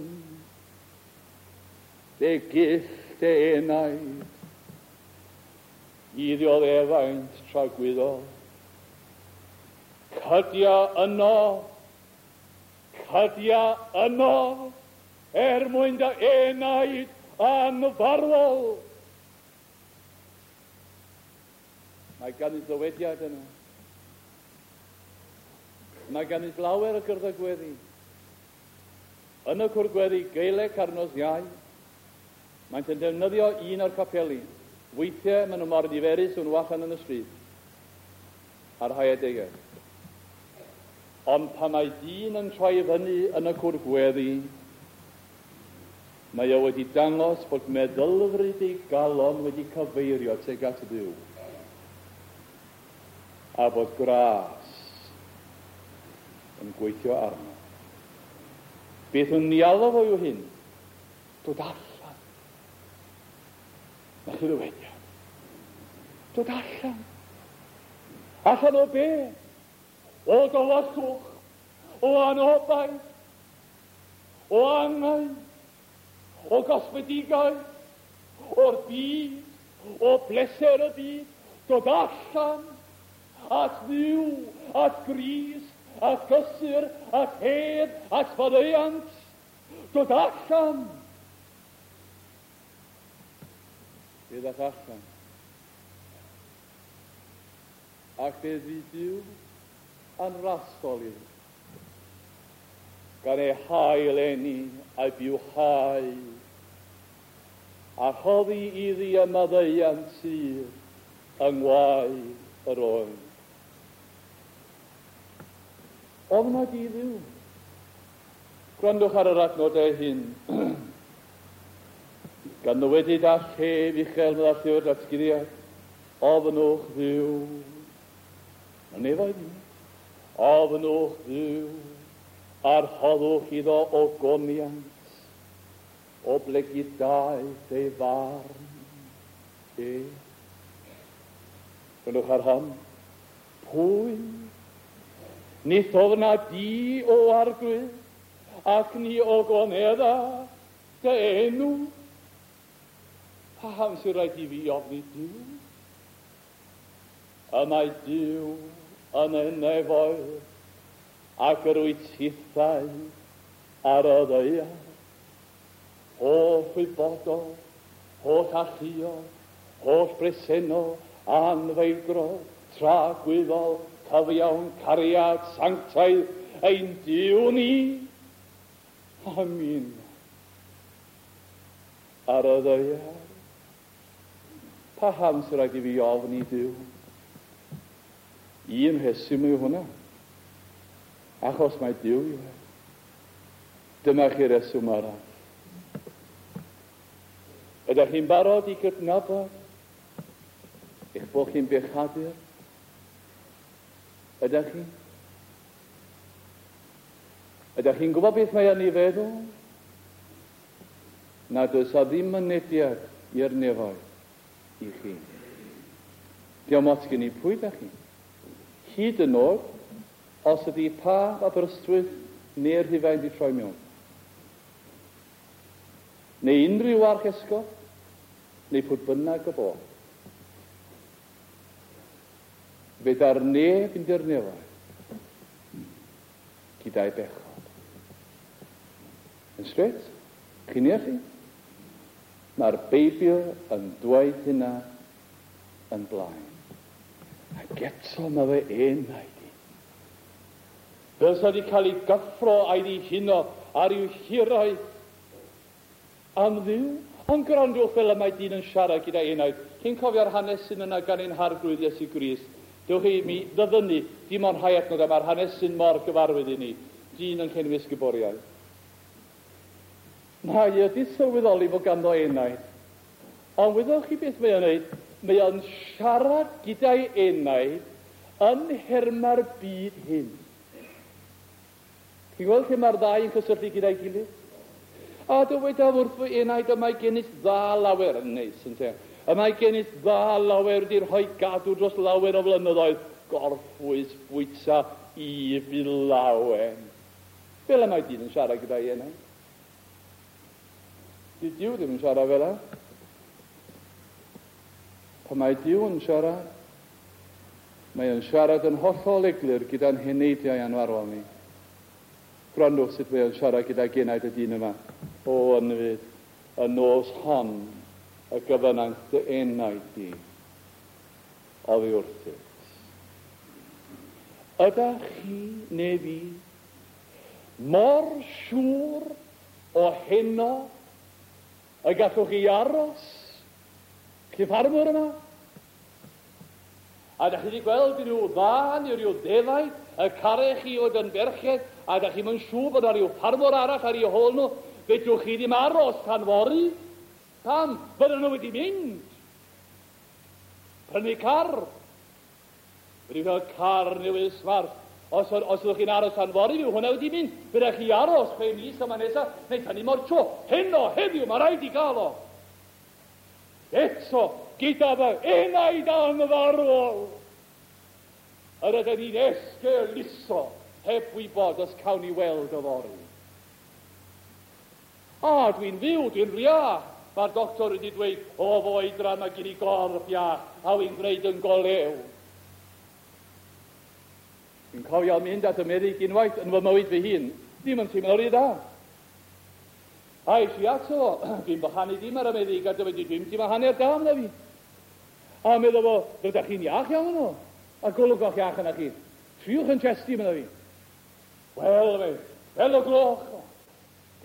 Speaker 1: fe gyll dy enaid. i ddioddefaint tragwyddol. Cydia yno, cydia yno, er mwyn dy enaid anfarwol. Mae gan i ddywediad yno. Mae gan i lawer o gyrddau gweddi. Yn y cwr gweddi Gaeleg ar nos Iau, maent yn defnyddio un o'r capeli. Weithiau maen nhw mor niferus nhw allan yn y stryd ar rhai adegau. Ond pan mae dyn yn troi fyny yn y cwr gweddi, mae o wedi dangos bod meddylfryd ei galon wedi cyfeirio tuag at Dduw a bod gras yn gweithio arno. Beth yn nialw fo yw hyn? Dod allan. Na chi ddywediad. Dod allan. Allan o be? O dywyllwch, o anobaith, o angau, o gosmedigaeth, o'r byd, o bleser y byd, dod allan at Dduw, at Grist, at gysur, at hedd, at faddeuant, dod allan. Fe ddath allan. Ac fe ddi Duw yn rasol iddi, gan ei hail eni a'i bywhau, a rhoddi iddi y maddeuant sydd yng ngwaed yr oen. Ofna di Dduw. Gwrandwch ar yr adnodau hyn. Gan ddywedyd â llef uchel meddai llyfr datguddiad, ofnwch Dduw. Mae nefoedd i. Ofnwch Dduw, a rhoddwch iddo ogoniant, oblegid daeth ei farn e. Gwrandwch ar hon. Pwy? Nid ofna di o Arglwydd, ac ni ogonedda dy enw. Paham sy'n rhaid i fi ofni Duw? Y mae Duw yn y nefoedd, ac yr wyt tithau ar y ddaear. Holl wybodol, holl alluog, holl bresennol, anfeidrol, tragwyddol, cyfiawn, cariad, sanctaidd, ein Duw ni. Amen. Ar y ddaear. Paham sy'n rhaid i fi ofni Duw? Un rheswm yw hwnna. Achos mae Duw yw e. Dyma chi reswm arall. Ydych chi'n barod i gydnabod eich bod chi'n bechadur? Ydych chi? Ydych chi'n gwybod beth mae yn ei feddwl? Nad oes a ddim mynediad i'r nefoedd i chi. Diolch ots gen i pwy ydych chi. Hyd yn oed, os ydy pa Aberystwyth neu'r Rhufain di troi mewn. Neu unrhyw archesgob, neu pwy bynnag y bo. Feda'r neb yn i'r nefoedd gyda'i bechod. Yn straight, chi'n deall chi? Mae'r Beibl yn dweud hynna yn blaen. Ac eto mae fe enaid i. Fel sa wedi cael ei gyffro a'i ddihuno ar i'w hiraeth am Dduw. Ond gwrandwch fel y mae dyn yn siarad gyda enaid. Chi'n cofio'r hanesyn yna gan ein Harglwydd Iesu Grist. Dewch i mi ddyfynnu dim ond rhai adnodau, mae'r hanesyn mor gyfarwydd i ni. Dyn yn llenwi ysguboriau. Mae wedi sylweddoli fod ganddo enaid. Ond wyddoch chi beth mae o'n neud? Mae o'n siarad gyda'i enaid yn nhermau'r byd hyn. Chi'n gweld lle mae'r ddau yn cysylltu gyda'i gilydd? A dywedaf wrth fy enaid, y mae gennyt dda lawer, yn neis, ynte? Y mae gennyt dda lawer wedi rhoi gadw dros lawer o flynyddoedd, gorffwys, bwyta, i fi lawen. Fel y mae dyn yn siarad gyda'i enaid. Dydy Duw ddim yn siarad fel 'na. Pan mae Duw yn siarad, mae yn siarad yn hollol eglur gyda'n heneidiau anfarwol ni. Gwrandwch sut mae o'n siarad gyda genaid y dyn yma. O, ynfyd, y nos hon y gyfynant dy enaid di oddi wrthyt. Ydach chi neu fi mor siŵr o heno y gallwch chi aros? Chi ffarmwr yma? A da chi wedi gweld rhyw dda neu rhyw ddefaid y carech chi oedd yn berched, a da chi'm yn siŵr bod 'na rhyw ffarmwr arall ar eu hôl nhw, fedrwch chi ddim aros tan fory. Pam? Fydden nhw wedi mynd. Prynu car. Wedi cael car newydd smart. Os, os ydych chi'n aros tan fory, fydd hwnna wedi mynd. Fe rhaid chi aros 6 mis yma nesaf, neu tan i mor tro. Heno, heddiw, mae rhaid i gael o. Eto, gyda fy enaid anfarwol, yr ydyn ni'n esgeuluso heb wybod os cawn ni weld yfory. A, dwi'n fyw, dwi'n iach. Mae'r doctor wedi dweud, o fy oedran mae gen i gorff iach, a wy'n gwneud yn golew. Dwi'n cofio mynd at y meddyg unwaith yn fy mywyd fy hun, ddim yn teimlo rhy dda. A es i ato fo, dwi'n bychanu dim ar y meddyg, a dywed i, dwi'n teimlo hanner da amdano fi. A meddwl fo, rydych chi'n iach iawn yno, a golwg o'ch iach yna chi. Triwch yn chesti, meddwl fi. Wel, fe, fel y gloch,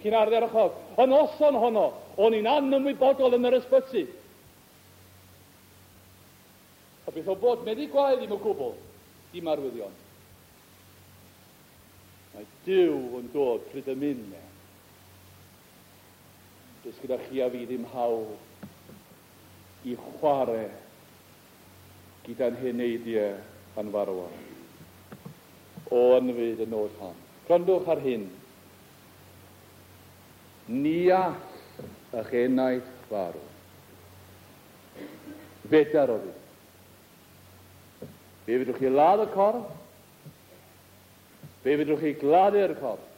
Speaker 1: chi'n ardderchog. Y noson honno, o'n i'n anymwybodol yn yr ysbyty. A beth o bod meddyg gwael ddim o gwbl, dim arwyddion. Mae Duw yn dod pryd y mynd e. Does gyda chi a fi ddim hawl i chwarae gyda'n heneidiau anfarwol. O ynfyd y nod hon. Gwrandwch ar hyn. Ni all eich enaid farw. Fedar o ddim. Fe fedrwch chi ladd y corff. Fe fedrwch chi gladdu'r corff.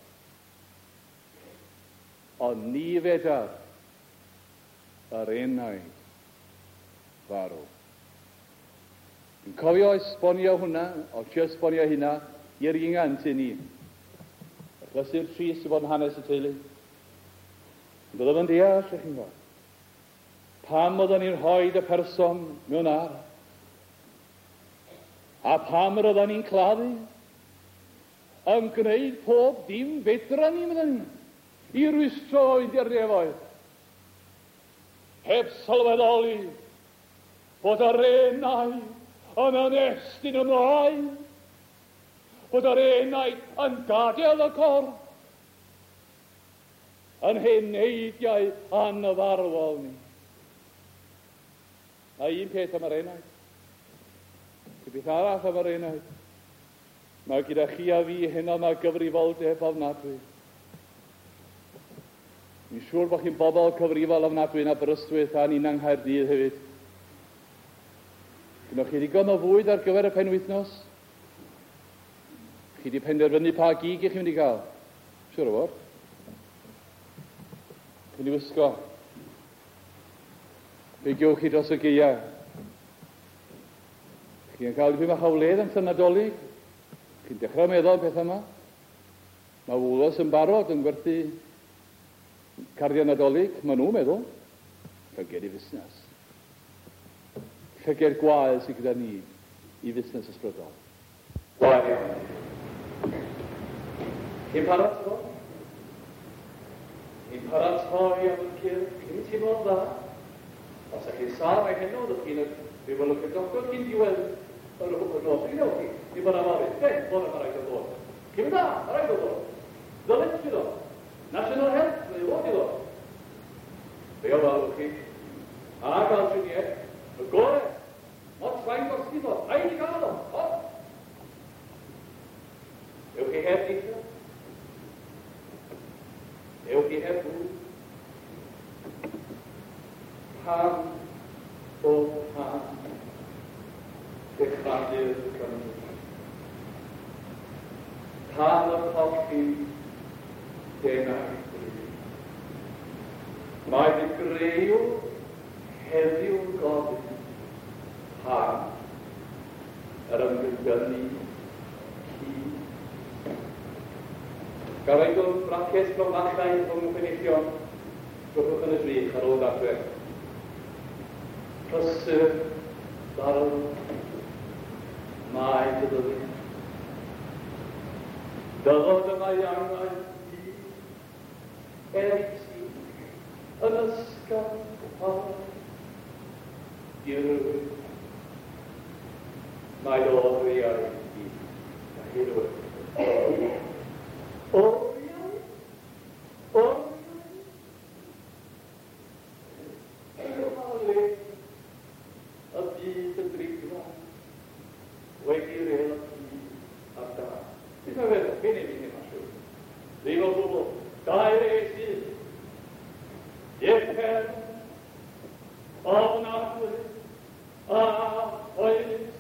Speaker 1: Ond ni fedar yr enaid farw. Dwi'n cofio esbonio hwnna, o trio esbonio hynna, i'r ingan tŷ ni. Achlysur trist i fod yn hanes y teulu. Ond oedd o'n deall, ych chi'n gwybod. Pam oedden ni'n rhoi y person mewn ar? A pam yr oedden ni'n claddu? Yn gwneud pob dim fedra ni, meddwn ni, i rwystro i i'r nefoedd. Heb sylweddoli bod yr enaid yn ymestyn ymlaen, bod yr enaid yn gadael y corff, yn heneidiau anfarwol ni. Mae un peth am yr enaid. Beth arall am yr enaid. Mae gyda chi a fi heno mae gyfrifoldeb ofnadwy. Dwi'n siŵr bod chi'n bobl cyfrifol ofnadwy yn Aberystwyth a ni'n yng Nghaerdydd hefyd. Gynnwch chi ddigon o fwyd ar gyfer y penwythnos? Chi wedi penderfynu pa gig i chi'n mynd i gael? Siŵr o fod. Chi'n mynd i wisgo. Be gewch chi dros y gaea? Chi'n cael dipyn bach o wledd amser Nadolig? Chi'n dechrau meddwl am pethau yma? Mae Woolworths yn barod yn gwerthu cardiau Nadolig. Maen nhw'n meddwl. Llyged i fusnes. Llyged gwael sydd gyda ni i fusnes ysbrydol. Gwael iawn. Chi'n paratoi? Chi'n paratoi am y cyrff? Chi'n teimlo'n dda? Os ydych chi'n sâl mae heno, ydych chi'n rhywbeth lwc y doctor cyn diwedd yr nos. Chi'n chi? Dim bod am ofyn. Be? Bod am rhaid o ddod. Chi'n dda? Mae rhaid o ddod. Ddylet chi ddod. National Health, mae o fod i ddod. Fe ofalwch chi. A gael triniaeth. Y gore. Mot fain gosti fo. Rhaid i gael o. O. Ewch chi heb deithio. Ewch chi heb fwyd. Pam o pam dechrau'r Cymru. Pam y colli denau bryd. Mae dy greu heddiw gofyn. Pam yr ymgynnu ci. Gafaelwn braced cromfachau rhwng y penillion, drwchwch yn y drych ar ôl adre. Prysur, barw, mae dy ddyddiau. Dyfod yma i angau di, er i ti, yn ysgafn fawr, dirwyd. Mae oriau i hirwyr. Oriau? Oriau? Ymha le y byd y drigfa wedi rêl y byd ar da. Beth mae'n feddwl? Be neu fi ddim siŵr. Ddim o gwbl. Dau res un. Uffern. Ofnadwy. A oes.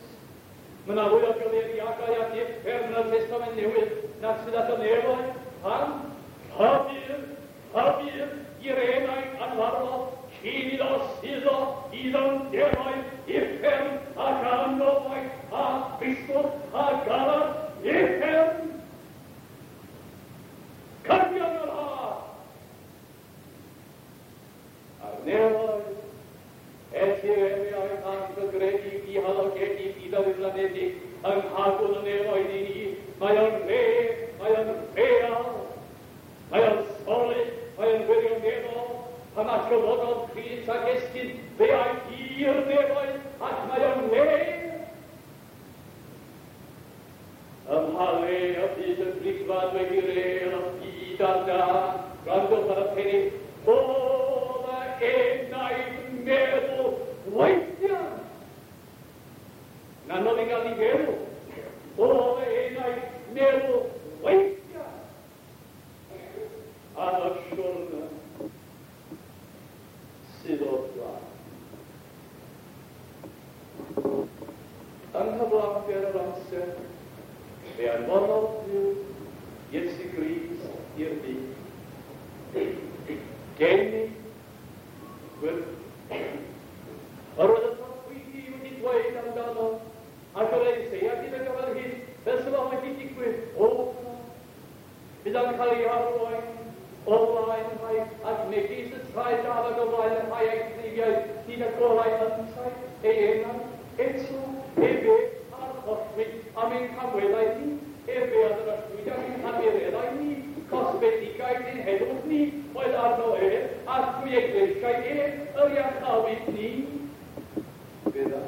Speaker 1: Mae yna fwy o gyfeiriadau at uffern yn y Testament Newydd nag sydd at y nefoedd. Pam? Rhybudd, rhybudd i'r enaid anfarwol cyn iddo suddo i ddyfnderoedd uffern ac anobaith a thristwch a galar uffern. Cydion yr haf a'r nefoedd etifeddiaeth anghygredig, dihalogedig, diddyflanedig, yng nghadw'n y nefoedd i ni. Mae o'n re, mae o'n real, mae o'n solid, mae o'n wirioneddol. Pan atgyfododd Crist ac esgyn, fe aeth i'r nefoedd, ac mae o'n le. Ym mha le y byd y drigfan wedi rêl y byd ar dân, gwrandwch ar y pennill, o fy enaid meddwl weithiau. Yn anodd i gael ni feddwl. O fy enaid meddwl weithiau. Ar y siwrne sydd o'r blaen. Yng nghyflawnder yr amser, fe anfonodd Duw Iesu Grist i'r byd. Geni gwyrdd. Yr oedd y proffwydi wedi dweud amdano, ac yr Eseia gyda gyfer hyn, fel sydd o'n wedi digwydd, o, bydd o'n cael ei arwain o flaen rhai, ac megis y traed dafad o flaen y rhai a'i cleifiau, hyd y golau yntau, ei enau, eto, efe archollwyd am ein camweddau ni, efe a ddrychwyd am ein hamereddau ni, cosbedigaeth ein heddwch ni, oedd arno ef, a thrwy eglwysau ef, yr iachawyd ni. Fydda.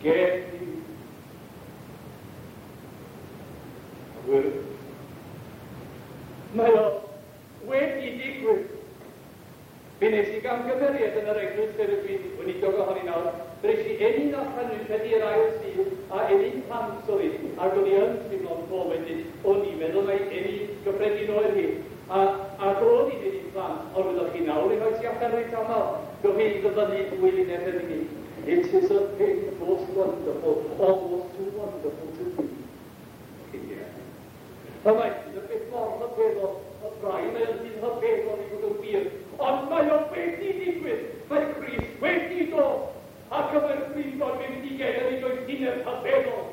Speaker 1: Geni. Gwyrdd. Mae o wedi digwydd. Fe nes i gamgymeriad yn yr eglwys lle rydw i'n weinidog ohoni nawr. Fe nes i ennyn allan rwy'n credu yr ail Sul a ennyn plant oedd hi, ac o'n i yn teimlo'n ffôl wedyn. O'n i'n meddwl mai ennyn gyffredin oedd hi. Ac o'n i'n ennyn plant, ond wyddoch chi nawr, i rhoi ti allan reit aml. Gewch chi ddyfynnu dwy linell yn unig. It is a thing most wonderful, almost too wonderful to be. Chi'n deall? Y mae hyn yn beth mor rhyfeddol, y braidd mae o'n rhy rhyfeddol i fod yn wir, ond mae o wedi digwydd, mae Crist wedi dod, ac y mae'r Gweinidog wedi gennym ei doethineb rhyfeddol,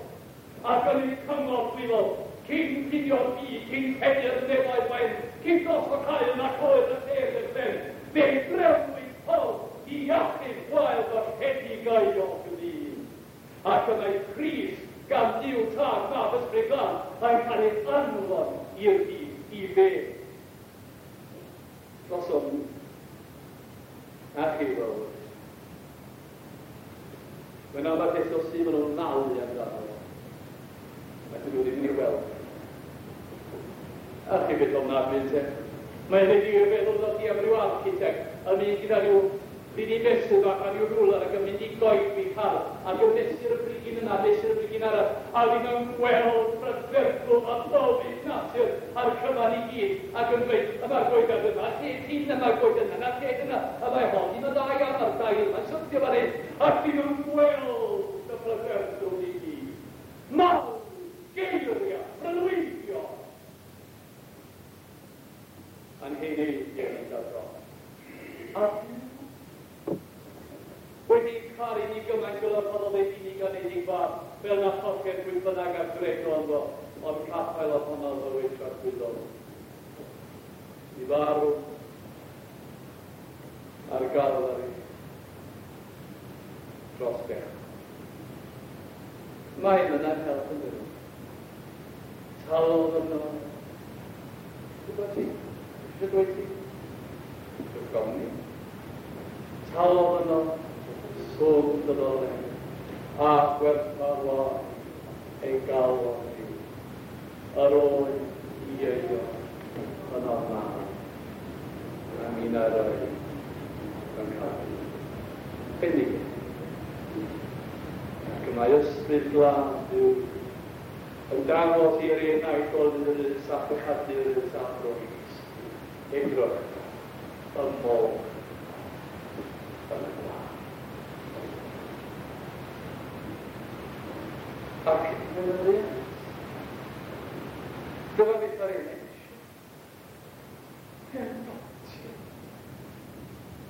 Speaker 1: ac yn ei cyngor dwyfol, cyn cinio'r byd, cyn pennu'r nefoedd wen, cyn gosod haul nac oedd y sêr i'r ben, fe drefnwyd ffordd i achub gwael golledigaeth y dyn. Ac y mae Crist, gan Dduw Tad, Mab, Ysbryd Glân, mae'n cael ei anfon i'r byd i fe. Drosom ni. A chi fel wrth. Mae'n aml beth o sydd maen nhw'n malu amdano fo. Mae dyn nhw ddim yn ei weld. A chi beth ofnadwy ynte? Mae'n rhaid i fi feddwl ddod i am ryw architect yn mynd gyda rhyw brigyn mesur bach a rhyw rwler ac yn mynd i goedwig hardd ac yn mesur y brigyn yna, mesur y brigyn arall, a ddim yn gweld prydferthwch a bywyd natur a'r cyfan i gyd ac yn dweud, y mae'r goeden yma, lle hyn, y mae'r goeden yna, lle yna, y mae hon ddim yn dda iawn a'r dail yma'n syrthio fan hyn, ac ddim yn gweld y prydferthwch i gyd. Mawr, geiriau, breuddwydio. A'n heneidiau yn dod. A wedi caru ni gymaint unig anedig fab, fel na chollir pwy bynnag a gredo ynddo, ond caffael ohono fywyd tragwyddol. I farw ar Galfari dros bechod. Mae yna help yn dod. Talodd yno. Gwybod ti? Eisiau dweud ti? Dwi'n gofyn. Talodd yno swm dy ddoled a gwerthfawr ei galon i. Yr oedd i eio yn ofnadwy. A minnau'r oedd yn cael. Bendigedig. Ac y mae ysbryd glân Duw yn dangos i'r enaid goludus a phechadurus a throes. Edrych y môr yn y glân. Ac yn y ddinas. Dyma beth mae'r enaid eisiau.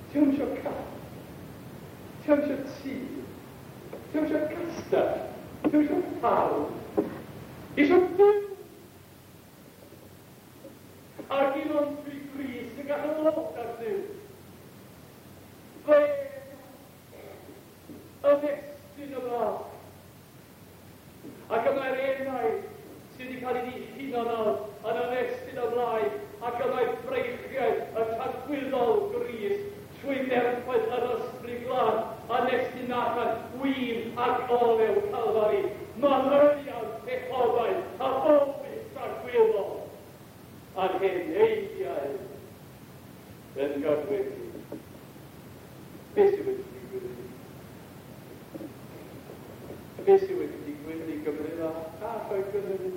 Speaker 1: Ti ddim eisiau car. Ti ddim eisiau tŷ. Ti ddim eisiau castell. Ti ddim eisiau ffarm. Eisiau byw. Ac un o'n trwy Grist yn gallu ddod ar Dduw. Fe ymestyn ymlaen. Ac y mae'r enaid sydd wedi cael ei ddihuno nawr yn ymestyn ymlaen, ac y mae breichiau y tragwyddol Grist trwy nerthoedd yr ysbryd glân yn estyn allan win ac olew Calfari, manylion pechodau a bywyd tragwyddol, a'n heneidiau yn gadwedig. Beth sydd wedi digwydd i ni? Beth sydd wedi digwydd i Gymru fach a Lloegr hefyd?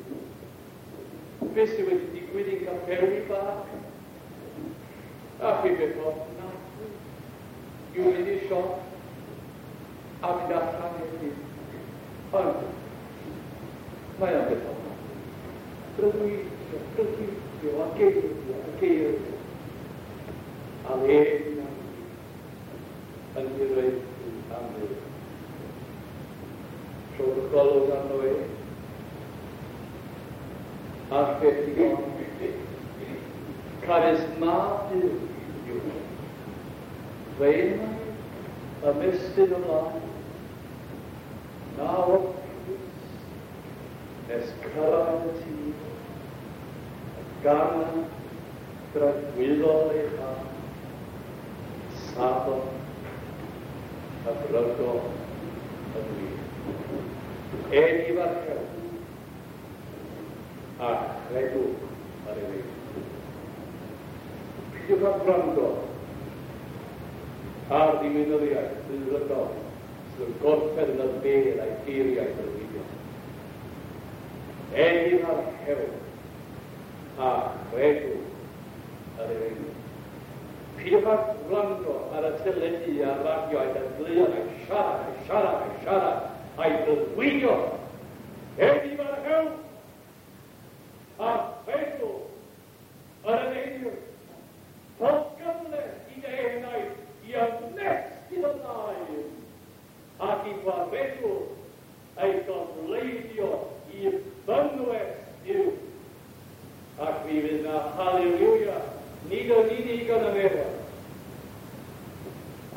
Speaker 1: Beth sydd wedi digwydd i'n capeli bach? A chi beth ofnadwy yw mynd i'r siop a mynd allan i'r. Ond mae o'n beth ofnadwy. Breuddwydio, breuddwydio, a geiriau, a geiriau. A le yn hiraethu am Dduw. Rhowch golwg arno e. A'r peth digon. Canys mab Duw yw e. Fe ymestyn ymlaen. Na orffwys nes cyrraedd y tir. Gan dragwyddol ei chad. Safon a brygol y gwir. Eni farchewch a chredwch ar ei wyneb. Peidiwch â gwrando ar ddiwinyddiaeth rhyddfrydol sydd yn gorffen yn y bedd a'i geiriau breuddwydiol. Eni farchewch a chredwch ar ei wyneb. Peidiwch â gwrando ar y teledu a'r radio a'i dadleuon a'i siarad, a'i siarad, a'i siarad, a'i breuddwydio. Eni farchewch a chredwch ar y efengyl. Rho gyfle i dy enaid i ymestyn ymlaen ac i gwaredwr ei gofleidio i fynwes Duw. Ac mi fydd na haleluia nid yn unig yn y nefoedd,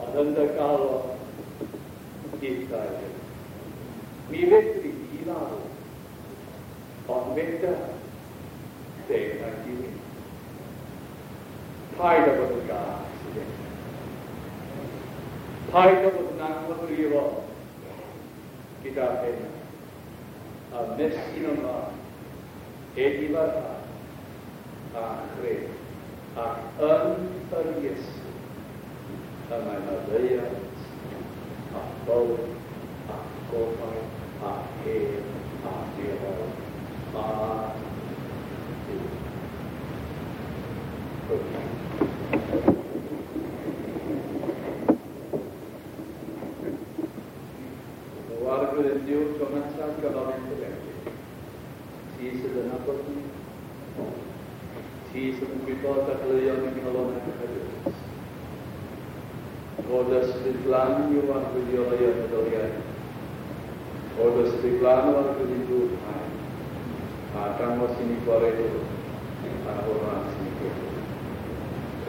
Speaker 1: ond yn dy galon dithau hefyd. Mi fedri di farw, ond fedra dy enaid di fynd. Paid â bod yn gas i ddechrau. Paid â bod yn anghyfrifol gyda'r hyn. A ymestyn ymlaen, edifarhad a chred, ac yn yr Iesu, y mae maddeuant a bywyd a gobaith a hedd a nefoedd a Duw. O Arglwydd Duw, Jonathan, ganolyn dy fendith. Ti sydd yn nabod ni. Ti sydd yn gwybod dadleuon ein calonnau pechadurus. Fod ysbryd glân i'w arglwyddio ei meddyliau. O ysbryd glân o Arglwydd i dŵr a dangos i ni gwaredwr a o'r ras i ni gwedw.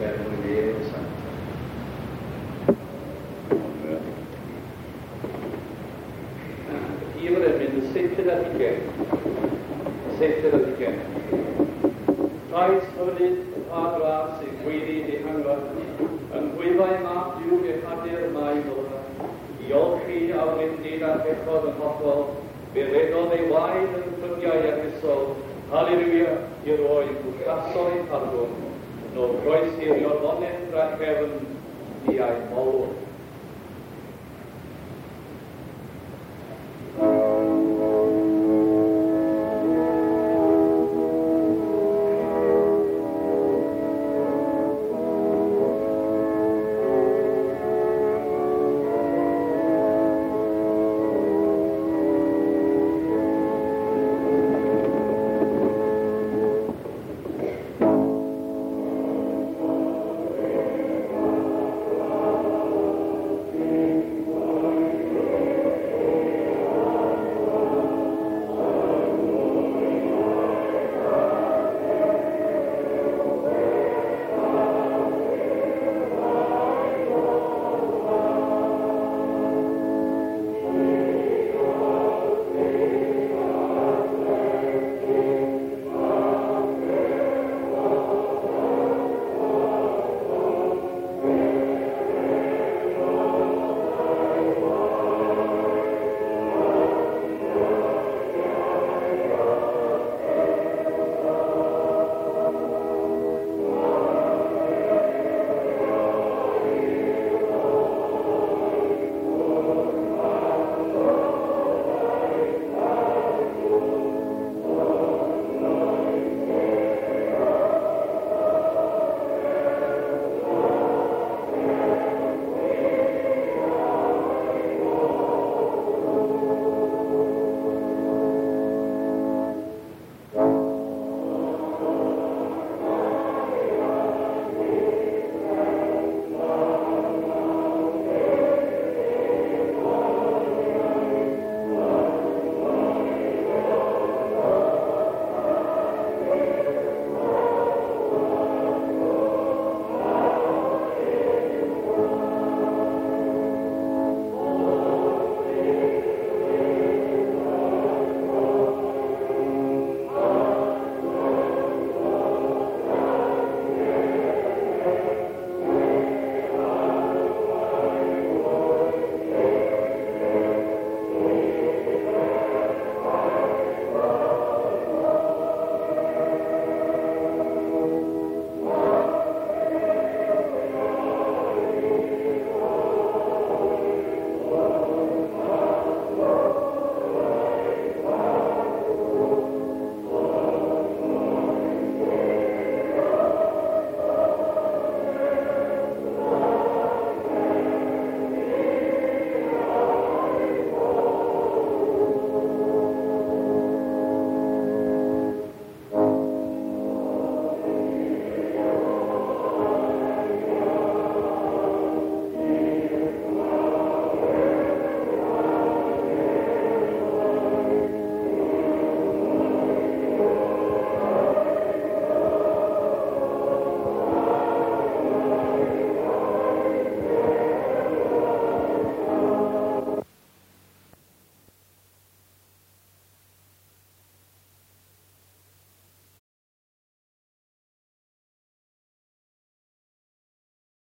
Speaker 1: Er mwyn ei enw sanctaidd. Amen. Rhif yr emyn, y 27. Y 27. Trais hyfryd pa ras sy'n gweiddi dihangfa, yng nghwyfau mab Duw bechadur mae ddod, i olchi a wendid a phechod yn hollol, fe redodd ei waed yn ffrydiau addysol, haleluia, i roi bwllasoedd pardwn, no croesirio'r fonedd drachefn, di a'i molwr.